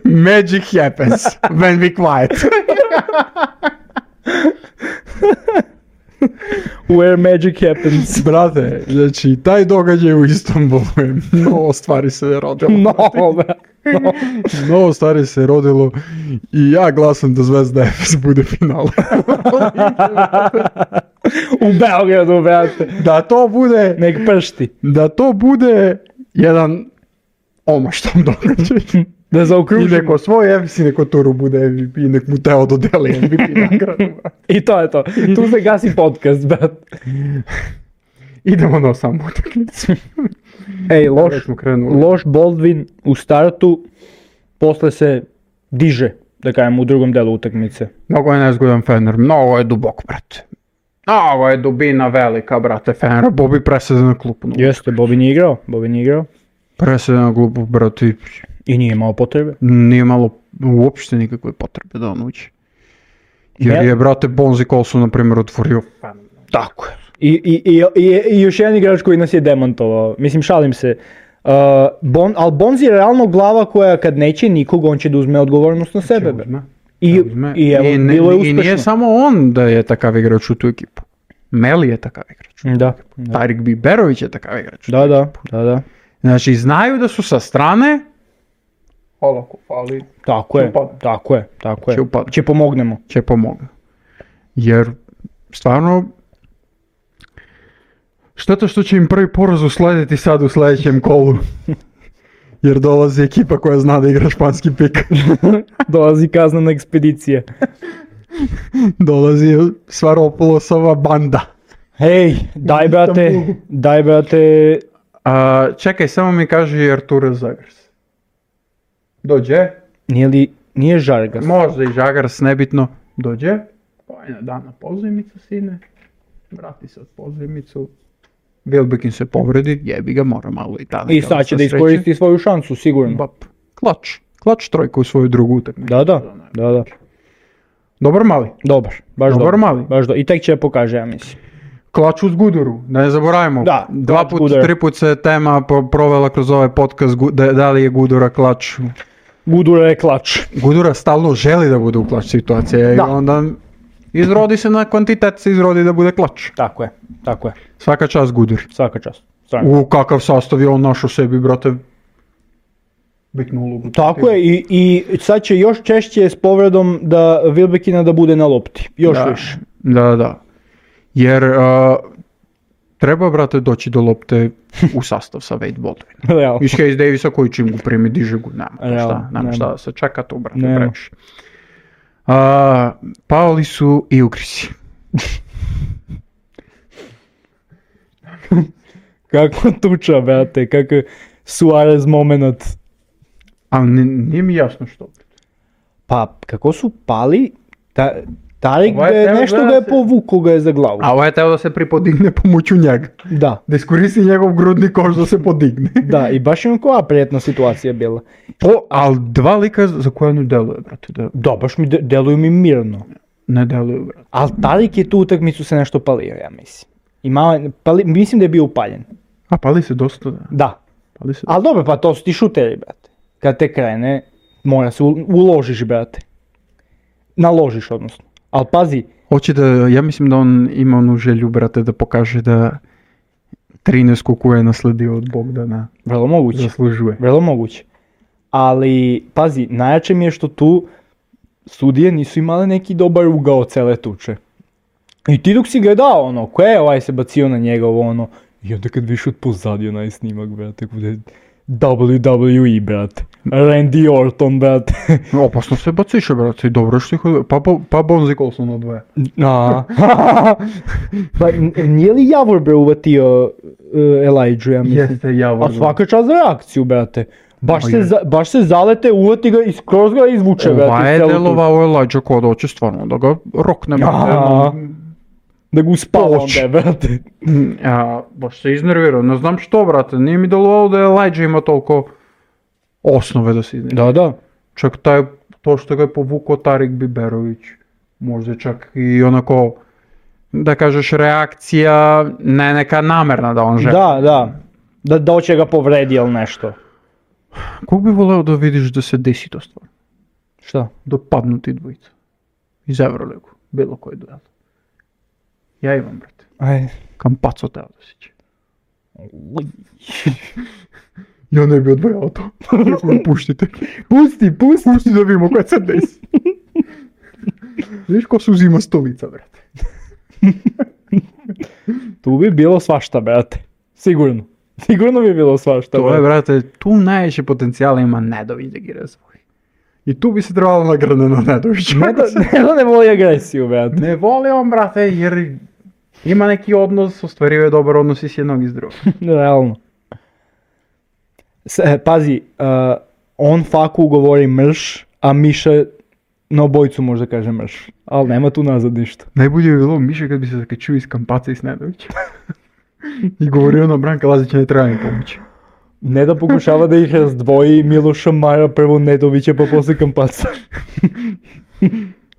Magic happens when we quiet. Where magic happens. Brate, znači taj događaj u Istanbulu je mnogo stvari se rodilo. No, brate. No. Mnogo stvari se rodilo i ja glasam da Zvezda Efes bude final. U Beogradu, brate. Da to bude, Nek pršti. da to bude jedan omaštan događaj. Da I zaokružimo. neko svoj Efes i neko Turu bude M V P i nek mu Teo dodeli M V P nagradu. I to je to. Tu se gasi podcast, brate. Idemo na samu utakmicu. Ej, loš, Već smo krenuli. loš Baldwin u startu, posle se diže, da kažem, u drugom delu utakmice. Mnogo je nezgodan Fener, mnogo je dubok, brate. Mnogo je dubina velika, brate, Fenera. Bobi presede na klupu. No. Jeste, Bobi nije igrao, Bobi nije igrao. Presede na klupu, brate. I nije imao potrebe. Nije malo uopšte nikakve potrebe da on uđe. Jer Ne. je, brate, Bonzi Colson, na primjer, otvorio Fener. Tako je. I, i, i, i, i još jedan igrač koji nas je demantovao. Mislim, šalim se. Uh, bon, ali Bonzi je realno glava koja kad neće nikog, on će da uzme odgovornost na sebe. bre. Uzme. I, Uzme. i evo, I, ne- bilo je I nije uspešno. samo on da je takav igrač u tu ekipu. Meli je takav igrač. Da, da, Tarik Biberović je takav igrač. da, da, da, da. Znači, znaju da su sa strane. Olako fali. Tako Će je, upadne. tako je, tako je. Će upadne. Će pomognemo. Će pomogu. Jer, stvarno, šteta što će im prvi poraz uslediti sad u sledećem kolu. Jer dolazi ekipa koja zna da igra španski pik. Dolazi kaznena ekspedicija. Dolazi Svaropolosova banda. Hej, daj brate, Istanbulu. daj brate, A, čekaj, samo mi kaže Arturo Zagars. Dođe? nije li, nije Žargas. Možda i Žagars, nebitno. Dođe? Pa je dan na pozajmicu, sine. Vrati se od pozajmicu. Wilbekin se povredi, jebi ga, mora malo i tada. I sad će da iskoristi svoju šansu, sigurno. Bap. Klač. Klač trojka u svoju drugu utakmicu. Da, da, da, da. Dobar mali. Dobar, baš Dobar dobar. mali. Baš do... I tek će pokaže, ja mislim. Klač uz Guduru, da ne zaboravimo. Da, Dva klač put, Gudura. tri put se tema pro- provela kroz ovaj podcast, gu- da, da li je Gudura klač. Gudura je klač. Gudura stalno želi da bude u klač situacije i Da. onda izrodi se na kvantitet, se izrodi da bude klač. Tako je, tako je. Svaka čast Guduri. Svaka čast. Stvarno. U kakav sastav je on našao sebi, brate, bitnu ulogu. Tako je i, i sad će još češće s povredom da Wilbekina da bude na lopti. Još Da, više. da, da. Jer uh, Treba, brate, doći do lopte u sastav sa Wade Baldwin. Realno. Iz Hayes Davisa koji čim go primi, diže go, nema to Realno, šta, nema nema. šta da se čeka tu, brate, Nema. previše. A, pali su i ugrisi. Kako tuča, brate, kako Suarez moment. A ni- nije mi jasno što. Pa, kako su pali, ta, Tarik Ovaj ga je, teo nešto gleda ga je se- povukao ga je za glavu. A ovo je teo da se pripodigne pomoću njega. Da, Da iskoristi njegov grudni koš da se podigne. da, i baš je koja prijetna situacija bila. Po, ali dva lika za koja ne deluje, brate, da Da, baš mi de, deluju mi mirno. ne deluju, brate. Ali Tarik je tu utakmicu se nešto palio, ja mislim. I malo, je- pali, mislim da je bio upaljen. A pali se dosta, da. Da, Pali se ali dobro, pa to su ti šuteri, brate. Kad te krene, mora se u- uložiš, brate. Naložiš, odnosno. Ali pazi, Hoće da, ja mislim da on ima onu želju, brate, da pokaže da trinaest koju je nasledio od Bogdana vrlo moguće. zaslužuje. Vrlo moguće. Ali, pazi, najjače mi je što tu sudije nisu imale neki dobar ugao cele tuče. I ti dok si gledao ono, ko je ovaj se bacio na njega ovo ono, i onda kad viš od pozadija onaj snimak, brate, bude W W E, brate. Randy Orton, brate. Opasno se baciše, brate, i dobro što ih od... Pa, pa, pa Bonzi Colson odvoje. A. Pa n- nije li Javor bre uvatio uh, Elijah, ja mislim? Jeste, Javor. A svaka čast za reakciju, brate. Baš Ma se, je. za, baš se zalete, uvati ga i skroz ga izvuče, brate. Ova je celu tuču. delovao Elijah kod hoće stvarno da ga rokne, brate. Aha. no. Da ga uspava Poč. onda, brate. Ja, baš se iznervirao, ne znam što, brate, nije mi delovalo da je Elijah ima toliko osnove da se iznervira. Da, da. Čak taj, to što ga je povukao Tarik Biberović, možda čak i onako, da kažeš, reakcija, ne neka namerna da on želi. Da, da. Da, da hoće ga povredi ili nešto. Kog bi voleo da vidiš da se desi to stvar? Šta? Da padnu ti dvojica. Iz Euroligu, bilo koji duel. Ja imam, brate. Aj. Campazzo Teodosić. Ja ne bi odvojao to. Puštite. Pusti, pusti. Pusti da vidimo koje se desi. Viš ko se uzima stolica, brate. Tu bi bilo svašta, brate. Sigurno. Sigurno bi bilo svašta, To je, brate. brate, tu najveće potencijala ima Nedović da gi razvoji. I tu bi se trebalo nagrane na Nedovića. Ne da, ne da ne voli agresiju, brate. Ne voli on, brate, jer ima neki odnos, ostvario dobar odnos i s jednog i s drugog. Realno. S, e, pazi, uh, on faku govori mrš, a Miša na obojicu možda kaže mrš. Ali nema tu nazad ništa. Najbolje bi bilo Miša kad bi se zakačio iz Kampaca i s Nedovićem. I govorio na Branka Lazića ne treba mi pomoći. Ne da pokušava da ih razdvoji Miloša Mara, prvo Nedovića pa posle Kampaca.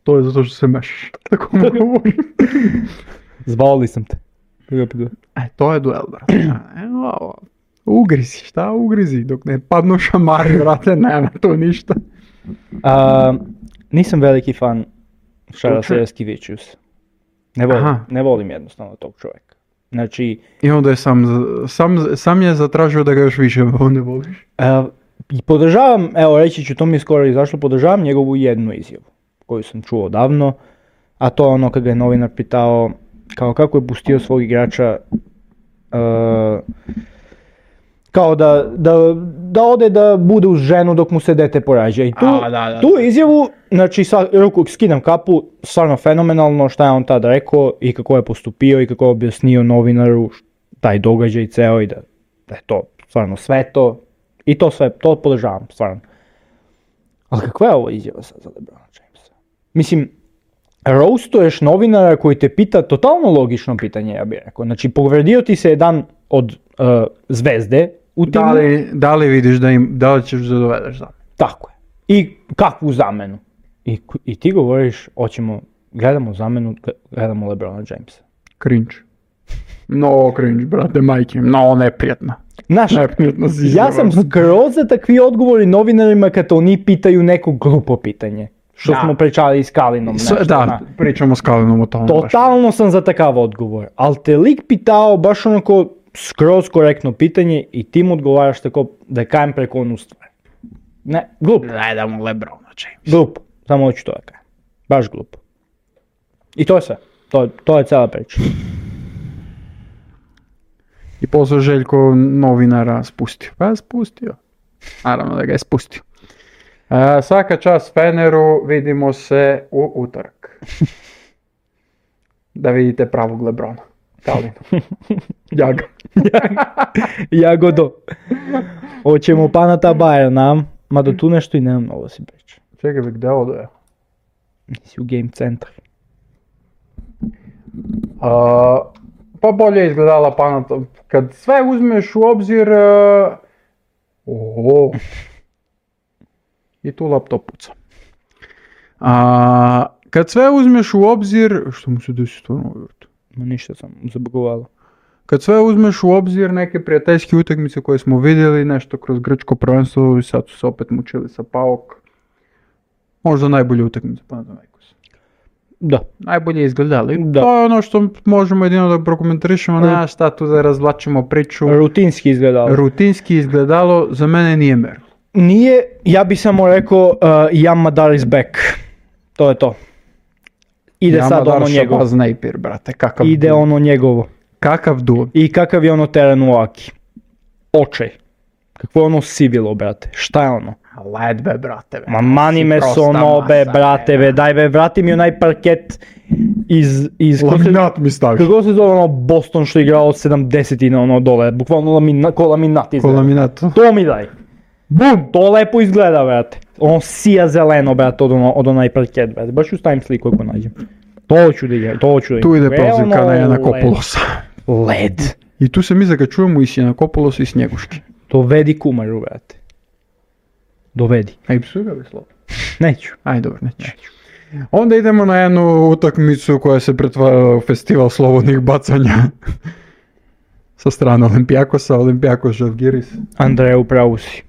To je zato što se mešaš. Tako mu govorim. Zvao li sam te? Kako pitao? E, to je duel, brate. Evo ovo. Ugrizi, šta ugrizi? Dok ne padnu šamari, brate, nema to ništa. A, nisam veliki fan Šarasa čovjek? Jaskivičius. Ne volim, Aha. ne volim jednostavno tog čovjeka. Znači, I onda je sam, za- sam, sam je zatražio da ga još više ne voliš. e, i podržavam, evo reći ću, to mi je skoro izašlo, podržavam njegovu jednu izjavu koju sam čuo davno, a to je ono kad ga je novinar pitao kao kako je pustio svog igrača e, kao da, da, da ode da bude uz ženu dok mu se dete porađa. I tu, A, da, da, tu izjavu, znači sa, ruku skidam kapu, stvarno fenomenalno šta je on tada rekao i kako je postupio i kako je objasnio novinaru š- taj događaj ceo i da, da je to stvarno sve to. I to sve, to podržavam, stvarno. Ali kakva je ovo izjava sad za LeBrona Jamesa? Mislim, roastuješ novinara koji te pita totalno logično pitanje, ja bih rekao. Znači, povredio ti se jedan od uh, zvezde u timu. Da li, da li vidiš da, im, da li ćeš da dovedeš za? Tako je. I kakvu zamenu? I, k- i ti govoriš, hoćemo, gledamo zamenu, g- gledamo LeBrona Jamesa. Cringe. No cringe, brate, majke. No, neprijatna. Znaš, Neprijatna si ja izjava. sam skroz za takvi odgovori novinarima kad oni pitaju neko glupo pitanje. Što Da. smo pričali s Kalinom. S- nešto, da, zna. pričamo s Kalinom o tome. baš. Totalno sam za takav odgovor, ali te lik pitao baš onako skroz korektno pitanje i ti mu odgovaraš tako da je kajem preko onu stvar. Ne, glupo, Gledamo LeBrona James. glupo, samo hoću to da kajem. Baš glupo. I to je sve, to, to je cijela priča. posle Željko novinara spustio. Pa je spustio. Naravno da ga je spustio. E, svaka čast Feneru, vidimo se u utorak. Da vidite pravog Lebrona. Talinu. Jaga. Jagodo. Hoćemo Panata Bayern, mada tu nešto i nemam novo si priča. Čekaj bi, gde ovo je? Nisi u game centru. Uh, pa bolje izgledala Panata. Kad sve uzmeš u obzir... Uh, oho. I tu laptop puca. A, kad sve uzmeš u obzir... Što mu se desi stvarno uvijek? Ma ništa sam zabugovalo. Kad sve uzmeš u obzir neke prijateljske utakmice koje smo vidjeli, nešto kroz grčko prvenstvo i sad su se opet mučili sa Paok. Možda najbolje utakmice Panathinaikos. Da. Najbolje izgledali. Da. To je ono što možemo jedino da prokomentarišemo, nema šta tu da razvlačimo priču. Rutinski izgledalo. Rutinski izgledalo, za mene nije merilo. Nije, ja bi samo rekao uh, Jan Madar is back. To je to. Ide ja sad ono njegovo. Shabazz Napier, brate, kakav Ide duo. ono njegovo. Kakav duo. I kakav je ono teren u Aki. Očaj. Kakvo je ono sivilo, brate. Šta je ono? Led be, brate. Be. Ma mani me s ono, be, brate, be. Daj, be, vrati mi onaj parket iz... iz Laminat mi staviš. Kako se zove ono Boston što je igrao od sedamdesetina ono dole. Bukvalno lamina, ko laminat izgleda. Ko laminat. To mi daj. Bum, to lepo izgleda, brate. Ono sija zeleno, brate, od, ono, od onaj parket, brate. Baš ću stavim sliku ako nađem. To ću da igram, to ću da igram. Tu ide prozivka na Janakopoulosa. Led. I tu se mi za ga čujemo i s Janakopoulosa i Snjeguški. Dovedi Kumaru, brate. Dovedi. Aj, psuj ga bi slovo. Neću. Aj, dobro, neću. Onda idemo na jednu utakmicu koja se pretvara u festival slobodnih bacanja. Sa strane Olimpijakosa, Olimpijakos Žalgiris. Andreja, upravo si.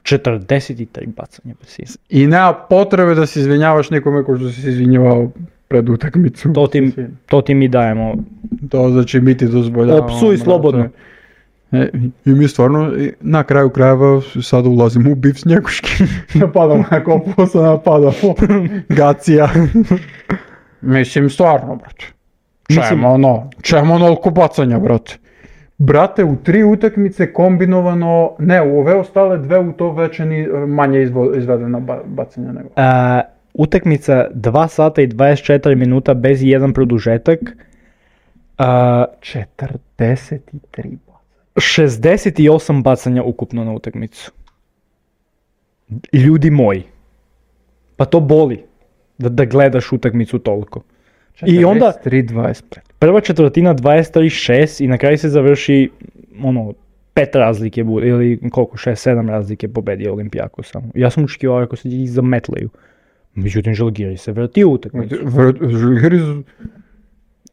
četrdeset tri bacanja bez sisa. I nema potrebe da se izvinjavaš nikome ko što si se izvinjavao pred utakmicu. To ti, to ti mi dajemo. To znači mi ti dozvoljavamo. Opsuj slobodno. E, I mi stvarno na kraju krajeva sada ulazimo u bif Snjeguški. Napadamo na Kopoulosa, napadamo Gacija. Mislim stvarno, brate. Čemu ono, čemu onoliko bacanja, brate. Brate, u tri utakmice kombinovano, ne, u ove ostale dve u to veće ni manje izvo, izvedena ba, bacanja nego. A, utakmica dva sata i dvadeset četiri minuta bez jedan produžetak. A, četrdeset tri bacanja. šezdeset osam bacanja ukupno na utakmicu. Ljudi moji. Pa to boli. Da, da gledaš utakmicu toliko. I onda četrdeset tri dvadeset pet. Prva četvrtina dvadeset tri šest i na kraju se završi ono pet razlike bude, ili koliko, šest sedam razlike pobedi Olimpijakos samo. Ja sam očekivao ako se ih zametleju. Međutim, Žalgiris se vrtio utakmicu. Žalgiris...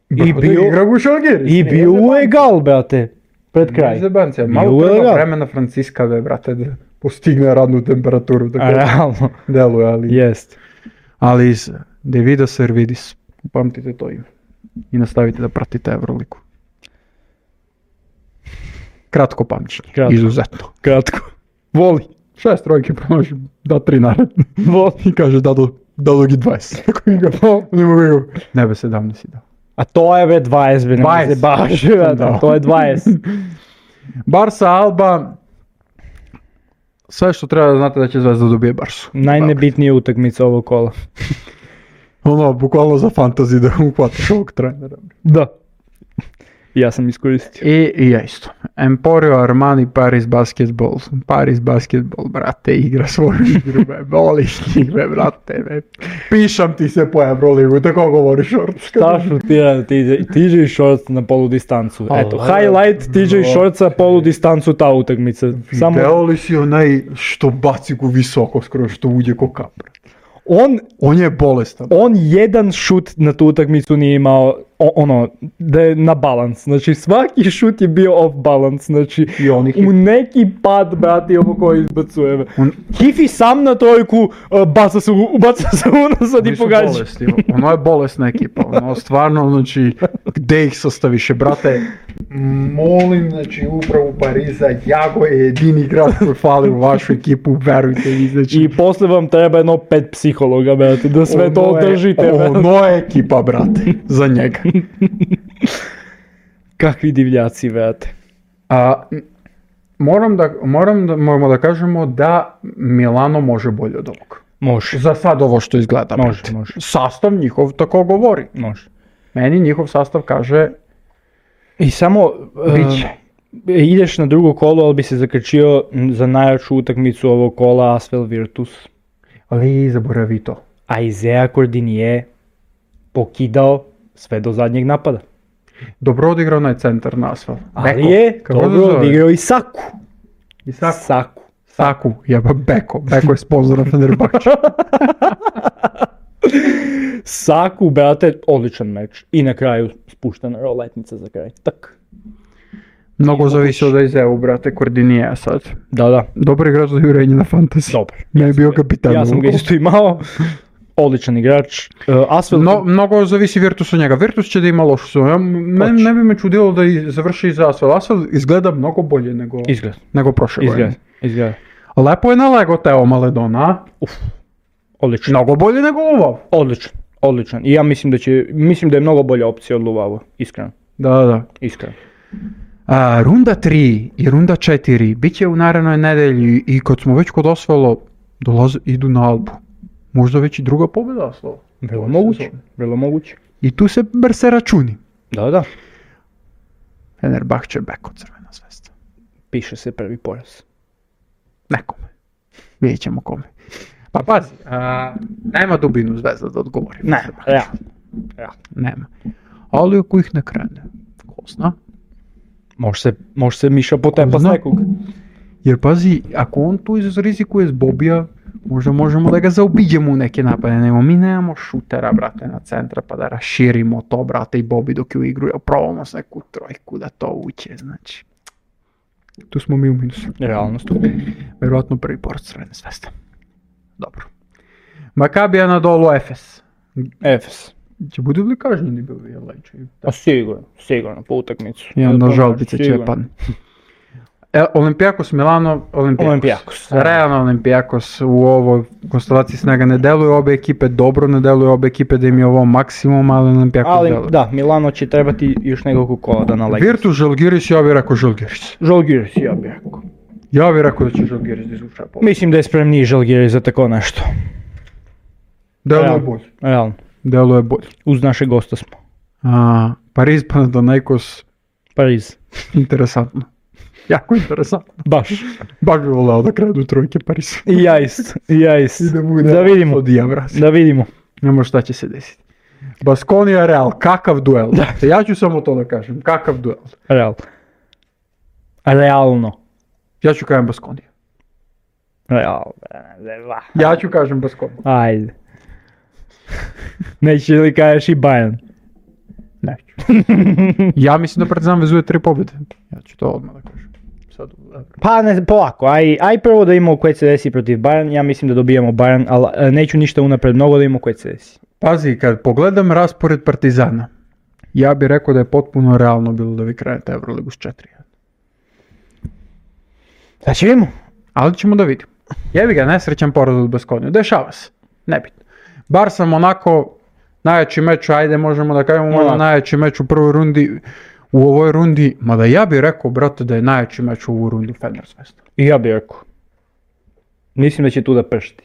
I bio, igra u Žalgiris. I bio u egal, brate, pred kraj. Malo treba vremena Franciskave, brate, da postigne radnu temperaturu. A realno. Deluje, ali... Jest. Ali iz Devida Servidis. Upamtite to ime. I nastavite da pratite Euroligu. Kratko pamćenje. Kratko. Izuzetno. Kratko. Voli. Šest trojke promaši, da tri naredne. Voli. I kaže da do, da dogi dvadeset. Ne be sedamnaest si dao. A to je be dvadeset, be ne se baš, to je dvadeset. Barsa Alba. Sve što treba da znate da će Zvezda dobije Barsu. Najnebitnija utakmica ovog kola. Ono, bukvalno za fantasy da uhvataš ovog trenera. Da. Ja sam iskoristio. I, i ja isto. Emporio Armani Paris Basketball. Paris Basketball, brate, igra svoju igru, be, voliš njih, be, brate, be. Pišam ti se po Euroligu, tako govori Shorts. Šta šutira T J Shorts na polu distancu? Eto, A, highlight T J Shortsa polu distancu ta utakmica. Samo... Video li si onaj što baci ku visoko skoro, što uđe ko kapra? On, on je bolestan. On jedan šut na tu utakmicu nije imao ono, da je na balans. Znači svaki šut je bio off balance. Znači u neki pad, brati, ovo koji izbacuje. On... Hifi sam na trojku, uh, baca se, baca se unazad i pogađa. Bolesti. Ono je bolesna ekipa. Ono stvarno, znači, gde ih sastaviš, brate? Molim, znači, upravo Pariza, Jago je jedini igrač koji fali u vašu ekipu, verujte mi, znači. I posle vam treba jedno pet psihologa, brate, da sve ono to održite. Je, ono je ekipa, brate, za njega. Kakvi divljaci, brate. A, m, moram, da, moram da, moramo da kažemo da Milano može bolje od ovog. Može, Za sad ovo što izgleda. može, brate. može, Sastav njihov tako govori. može. Meni njihov sastav kaže I samo Biće. e, ideš na drugo kolo, ali bi se zakrčio m, za najjaču utakmicu ovog kola Asvel Virtus. ali zaboravi to. A Izea Cordini je pokidao sve do zadnjeg napada. Dobro odigrao onaj centar na asfalt. Ali Beko. je Kako se dobro zove? odigrao i Saku. I Saku. Saku. Saku, jeba Beko. Beko je sponzor na Fenerbahče. Saku, brate, odličan meč. I na kraju spuštena roletnica za kraj. Tak. Mnogo zavisi od Izeu, brate, Kordinija sad. Da, da. Dobar igrač za jurenje na fantasy. Dobar. Ne je Ja sam bio ga- kapitan. Ja sam ga ovog. isto imao. Odličan igrač. Uh, Asvel... No, mnogo zavisi Virtus od njega. Virtus će da ima lošu sezonu. Ja, mene Hoće. ne bi me čudilo da i završi za Asvel. Asvel izgleda mnogo bolje nego, Izgled. nego prošle Izgled. godine. Izgled. Lepo je nalego Teo Maledona, a? Odličan. Mnogo bolje nego Luvav. Odličan. Odličan. I ja mislim da će, mislim da je mnogo bolja opcija od Luvava. Iskreno. Da, da. Iskreno. A, runda tri i runda četiri bit će u narednoj nedelji i kad smo već kod Asvela, dolaze, idu na Albu. Možda već i druga pobjeda Asvela. Vrlo Ove moguće. sezone. Vrlo moguće. I tu se brse računi. Da, da. Fenerbahče Beko, Crvena zvezda. Piše se prvi poraz. Nekome. Vidjet ćemo kome. Pa pazi, a, nema dubinu zvezda da odgovori. Ne, realno. Realno. Nema. Ali ako ih ne krene, ko zna? Može se, može se Miša potepa s zna? nekog. Jer pazi, ako on tu izrizikuje s Bobija, možda možemo da ga zaobiđemo u neke napade. Nemo, mi nemamo šutera, brate, na centra pa da raširimo to, brate, i Bobi dok ju igruje. Probamo s neku trojku da to uće, znači. Tu smo mi u minusu. Realnost. Verovatno prvi poraz Crvene zvezde. Dobro. Makabi Anadolu Efes. Efes. Će budu li kažnjeni bili, jel leče? A sigurno, sigurno, po utakmicu. I onda žalbice će Sigurno. pan. E, Olimpijakos Milano, Olimpijakos. Olimpijakos. Realno Olimpijakos u ovoj konstelaciji snaga ne deluju obe ekipe dobro, ne deluju obe ekipe da im je ovo maksimum, ali Olimpijakos Ali deluje. da, Milano će trebati još nekoliko kola da nalegi. Virtus Žalgiris, ja bih rekao Žalgiris. Žalgiris, ja bih rekao. Ja bih rekao da će Žalgiris da izvuče pobjedu. Mislim da je spremniji Žalgiris za tako nešto. Deluje Realno. bolje. Realno. Deluje bolje. Uz naše gosta smo. A, Pariz Panathinaikos, Pariz. interesantno. Jako interesantno. Baš. Baš bi voleo da krenu trojke Pariz. I ja isto. I ja isto. I da bude Da vidimo. od Javra. Da vidimo. Nemo šta će se desiti. Baskonia Real, kakav duel. Ja ću samo to da kažem, kakav duel. Real. Realno. Ja ću kažem Baskonija. Real. Ja ću kažem Baskonija. Ajde. Neće li kažeš i Bayern? Neću. Ja mislim da Partizan vezuje tri pobjede. Ja ću to odmah da kažem. Sad, Pa ne, polako, aj, aj prvo da imamo koje se desi protiv Bayern, ja mislim da dobijamo Bayern, ali e, neću ništa unapred mnogo da imamo koje se desi. pazi, kad pogledam raspored Partizana, ja bih rekao da je potpuno realno bilo da vi krenete Euroligu s četiri jedan. Sad će vidimo. Ali ćemo da vidimo. Jebi ga, nesrećan poraz od Baskoniju. Dešava se. Nebitno. Barsa Monako, najjači meč, ajde možemo da kažemo možda Monako. najjači meč u prvoj rundi, u ovoj rundi, mada ja bih rekao, brate, da je najjači meč u ovu rundu Fener Zvezda. I ja bih rekao. Mislim da će tu da pršti.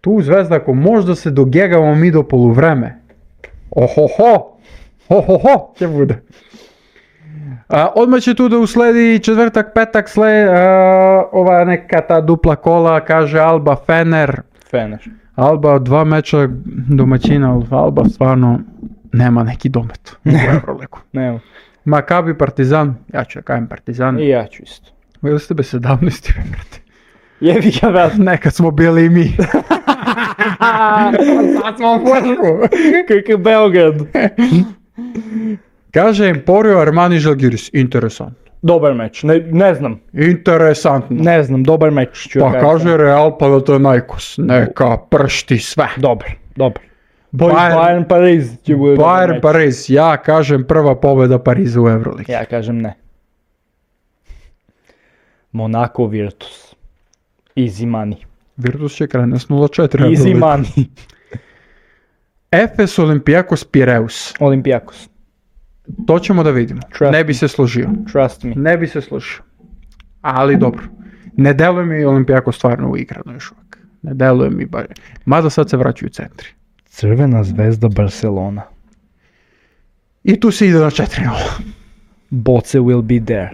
Tu Zvezda, ako možda se dogegamo mi do poluvreme, ohoho, ohoho, će bude. A, odmah će tu da usledi četvrtak, petak, sle, a, ova neka ta dupla kola, kaže Alba, Fener. Fener. Alba dva meča domaćina, ali Alba stvarno nema neki domet u Euroligu. Nema. Makabi Partizan, ja ću da kažem Partizan. I ja ću isto. Bili ste be sedamnaesti, brate. Jebi ga, vrat. Nekad smo bili i mi. Sad smo u vrhu. Kakav Beograd. Kaže Emporio Armani Žalgiris, interesantno. Dobar meč, ne, ne znam. Interesantno. Ne znam, dobar meč ću Pa ja kažem. kaže Real Panathinaikos, neka pršti sve. Dobar, dobar. Boys Bayern- Bayern Pariz će bude dobar Bayern meč. Pariz, ja kažem prva pobjeda Pariza u Euroligi. Ja kažem ne. Monaco Virtus. Easy money. Virtus će krene s nula četiri. Easy Euroliga. money. Efes Olimpijakos Pireus. Olimpijakos. To ćemo da vidimo. Trust ne bi se složio. Trust me. Ne bi se složio. Ali dobro. Ne deluje mi Olimpijako stvarno uigrano još uvijek. Ne deluje mi baš. Mada sad se vraćaju centri. Crvena zvezda Barcelona. I tu se ide na četiri nula. Boce will be there.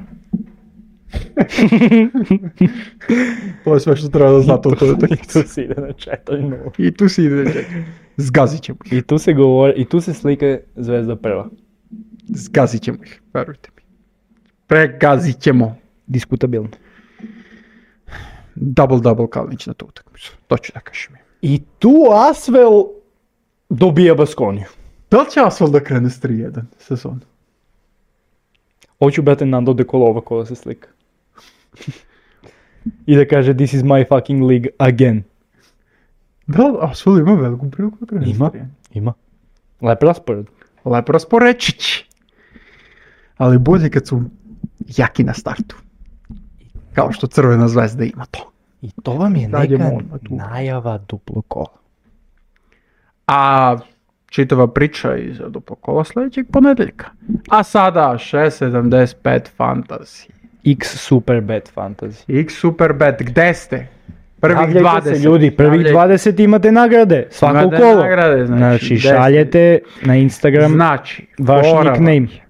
To je sve što treba da znate u toj I utakmici. tu se ide na četiri nula. I tu se ide na četiri. Zgazit ćemo ih. I tu se govori, i tu se slika zvezda prva. Zgazit ćemo ih, verujte mi. Pregazit ćemo. Diskutabilno. Double-double Kalinić na tu utakmicu. To ću da kažem. I tu Asvel dobija Baskoniju. Da li će Asfal da krene s tri jedan sezonu? Hoću brate Nando de Kolova ko da se slika. I da kaže this is my fucking league again. Da li Asfal ima veliku priliku da krene Ima. s tri jedan? Ima. Lep raspored. Lep rasporečić. Ali bolje kad su jaki na startu. Kao što Crvena zvezda ima to. I to vam je Daljemo neka odmah tu. najava duplo kola. A čitava priča iz duplo kola sljedećeg ponedeljka. A sada šest sedamdeset pet Fantasy. X Superbet Fantasy. X Superbet, gde ste? Prvih Javljajte dvadeset. se ljudi, prvih Javljajte. dvadeset imate nagrade, svako Imate kolo. nagrade, znači, Znači gde ste? šaljete na Instagram Znači, vaš fora vam nickname. je,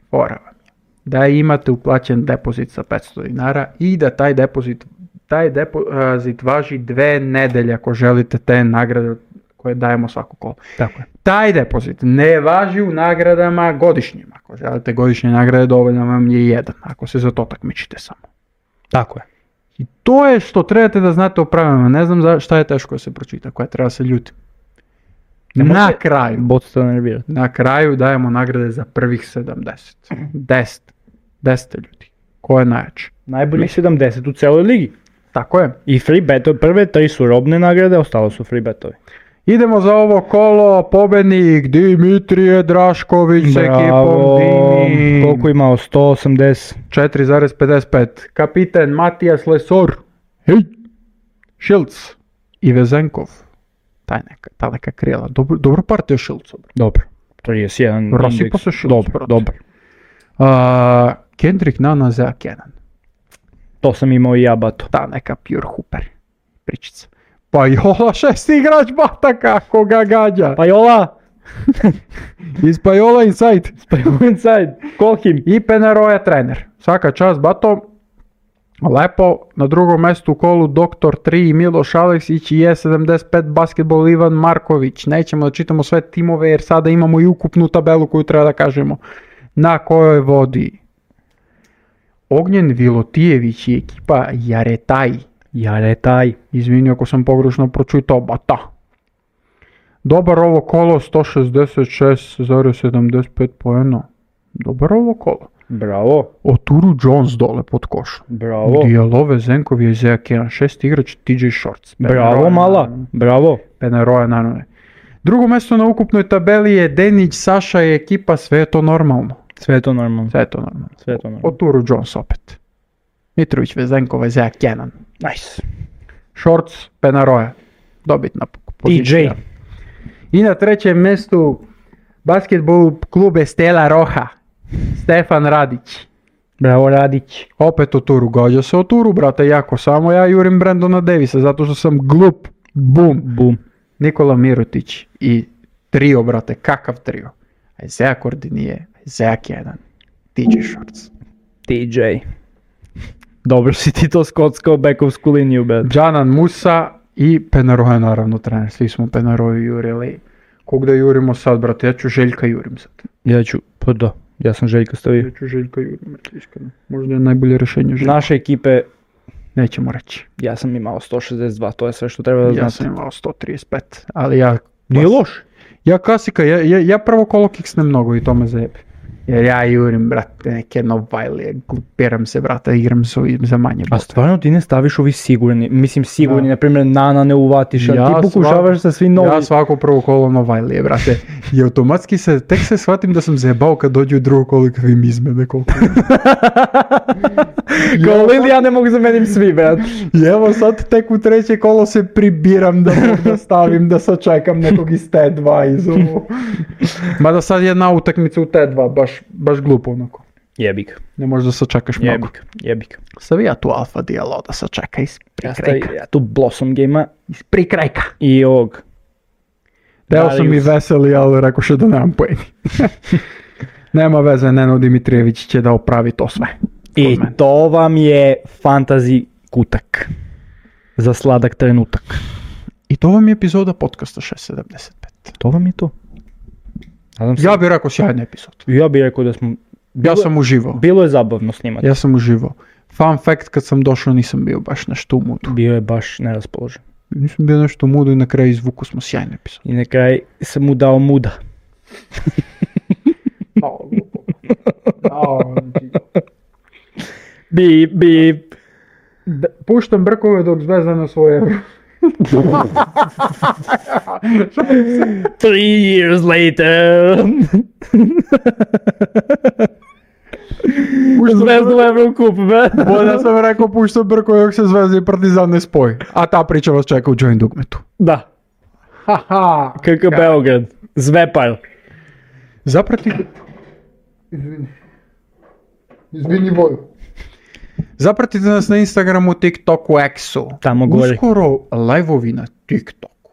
fora vam je da imate uplaćen depozit sa petsto dinara i da taj depozit, taj depozit važi dve nedelje ako želite te nagrade koje dajemo svako kolo. Tako je. Taj depozit ne važi u nagradama godišnjim. Ako želite godišnje nagrade, dovoljno vam je jedan, ako se za to takmičite samo. Tako je. I to je što trebate da znate o pravilima. Ne znam za šta je teško da se pročita, koja treba se ljutim. Na kraju, Bot se nervirati. na kraju dajemo nagrade za prvih sedamdeset. deset. deset ljudi. Ko je najjači? Najboljih sedamdeset u celoj ligi. Tako je. I free betovi, prve tri su robne nagrade, ostalo su free betovi. Idemo za ovo kolo, pobednik Dimitrije Drašković s ekipom Dimi. Koliko je imao? sto osamdeset. četiri zarez pedeset pet. Kapiten Matijas Lesor. Hej. Šilc. I Vezenkov. Taj neka, ta neka krijela. Dobro, dobro partija Šilca. Dobro. trideset jedan Rasipa indeks. se Šilc, Dobro, brate. dobro. Uh, Kendrick Nana za Kenan. To sam imao i ja, bato. Ta neka pure hooper. Pričica. Pa Jola šesti igrač bata kako ga gađa. Pa Jola! Iz Pajola Inside. Pa Jola inside. Call him. I Penaroja trener. Svaka čast bato. Lepo. Na drugom mjestu u kolu doktor tri Miloš Aleksić i E sedamdeset pet basketbol Ivan Marković. Nećemo da čitamo sve timove jer sada imamo i ukupnu tabelu koju treba da kažemo. Na kojoj vodi Ognjen Vilotijević i ekipa Jaretaj. Jaretaj. Izvini ako sam pogrešno pročitao, bata. Dobar ovo kolo, sto šezdeset šest zarez sedamdeset pet poena. Dobar ovo kolo. Bravo. Oturu Jones dole pod košom. Bravo. Dijalove Zenkov je Isaiah Kenan, šest igrač T J Shorts. Bravo mala. Bravo. Penaroja naravno. Drugo mjesto na ukupnoj tabeli je Denić, Saša i ekipa, sve je to normalno. Sve je to normalno. Sve je to normalno. Sve je to normalno. Oturu Jones opet. Mitrović, Vezenkov, Isaiah Kenan. Nice. Shorts, Penaroja. Dobitna pozicija. T J. I na trećem mjestu basketbol klub Stela Roha. Stefan Radić. Bravo Radić. Opet o turu. Gađa se o turu, brate, jako. Samo ja jurim Brandona Davisa, zato što sam glup. Bum. Bum. Nikola Mirotić i trio, brate. Kakav trio? Isaiah Kordinije, Isaiah Kenan, T J Shorts. T J. Dobro si ti to skockao bekovsku liniju, bet. Džanan Musa i Penaroja, naravno, trener. Svi smo Penaroju jurili. Kog da jurimo sad, brate? Ja ću Željka jurim sad. Ja ću, pa da, ja sam Željka stavio. Ja ću Željka jurim, iskreno. Možda je najbolje rješenje Željka. Naše ekipe, Nećemo reći. ja sam imao sto šezdeset dva, to je sve što treba da Ja znate. sam imao sto trideset pet, ali ja... Nije loš. Ja klasika, ja, ja, ja prvo kolo kiksnem mnogo i to me zajebi. Jer ja jurim, brate, neke Novajlije, glupiram se, brate, igram s ovim za manje A bote. stvarno ti ne staviš ovi sigurni, mislim sigurni, Da. na primjer Nana ne uvatiš, a Ja ti pokušavaš svak- sa svi novi. Ja svako prvo kolo Novajlije, brate. I automatski se, tek se shvatim da sam zajebao kad dođu u drugo kolo i kad im izmene koliko. Kao Lili, ja ne mogu zamenim svi, brat. I evo sad tek u treće kolo se pribiram da mogu da stavim, da sačekam nekog iz T dva iz ovo. Mada sad jedna utakmica u T dva, baš, baš glupo onako. Jebik, Ne možeš da sačekaš mnogo. jebik, jebik. Stavi ja tu alfa dijelo da sačeka iz Ja, stavi, prikrajka. ja tu Blossom Game-a Iz prikrajka. i ovog. Deo sam i Darius. veseli, ali rekao še da nemam pojeni. Nema veze, Neno Dimitrijević će da opravi to sve. I Kod mene. to vam je fantasy kutak. Za sladak trenutak. I to vam je epizoda podcasta šest sedamdeset pet. To vam je to. Nadam se. Ja bih rekao sjajna epizod. Ja bih rekao da smo... Ja Bilo- sam uživao. Bilo je zabavno snimati. Ja sam uživao. Fun fact, kad sam došao nisam bio baš nešto u mudu. Bio je baš neraspoložen. Nisam bio nešto u mudu i na kraju izvuku smo sjajnu epizodu. I na kraj sam mu dao muda. Bip, bip. Puštam brkove dok Zvezda svoje euro. Three years later. Zvezdu Evrokup, be. Bolje sam rekao puštam brkove dok se Zvezda i Partizan ne spoji. A ta priča vas čeka u Join Dugmetu. Da. Haha. K K Beograd. Zvepar. Zapratite... Izvini. Izvini Voju. Zapratite nas na Instagramu, TikToku, X-u. Tamo gore. Uskoro live-ovi na TikToku.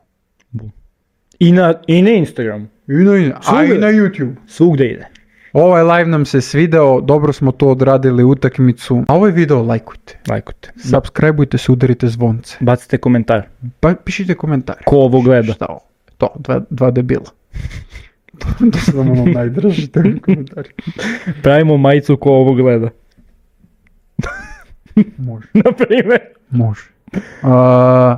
I na, i na Instagramu. I na, a Svugde. i na YouTube. Svugde ide. Ovaj live nam se svideo, dobro smo to odradili utakmicu. A ovaj video lajkujte. Lajkujte. Subscribeujte se, udarite zvonce. Bacite komentar. Pa pišite komentare. Ko ovo gleda? Šta ovo? To, dva, dva debila. To su nam ono najdraži komentari. Pravimo majicu ko ovo gleda. Može. Na primjer. Može. A,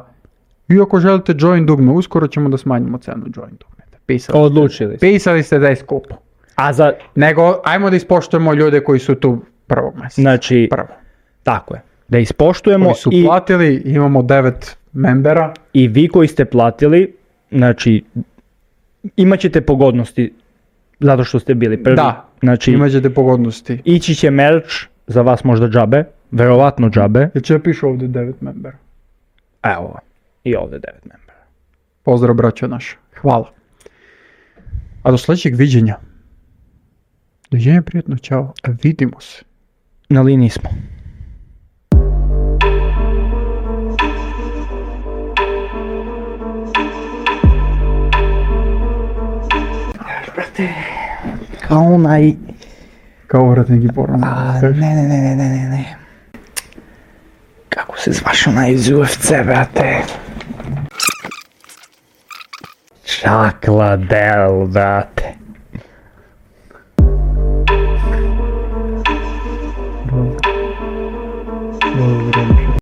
I ako želite join dugme, uskoro ćemo da smanjimo cenu join dugmeta. Pisali, Odlučili ste. pisali ste da je skupo. A za, Nego, ajmo da ispoštujemo ljude koji su tu prvog mjeseca. znači, Prvo. tako je. Da ispoštujemo Koji su i, platili, imamo devet membera. i vi koji ste platili, znači, imat ćete pogodnosti zato što ste bili prvi. Da, Znači, Imat ćete pogodnosti. ići će merch, za vas možda džabe, verovatno džabe. Jel će piše ovdje devet membera? Evo, i ovdje devet membera. Pozdrav braćo naša. Hvala. A do sljedećeg viđenja. Dođenje prijatno, čao. Vidimo se. Na liniji smo. Brate, kao onaj... Kao vratnik i porno. A, ne, ne, ne, ne, ne, ne, ne. Kako se zvaš onaj iz U F C, brate? Čakla Del, brate. Dobro.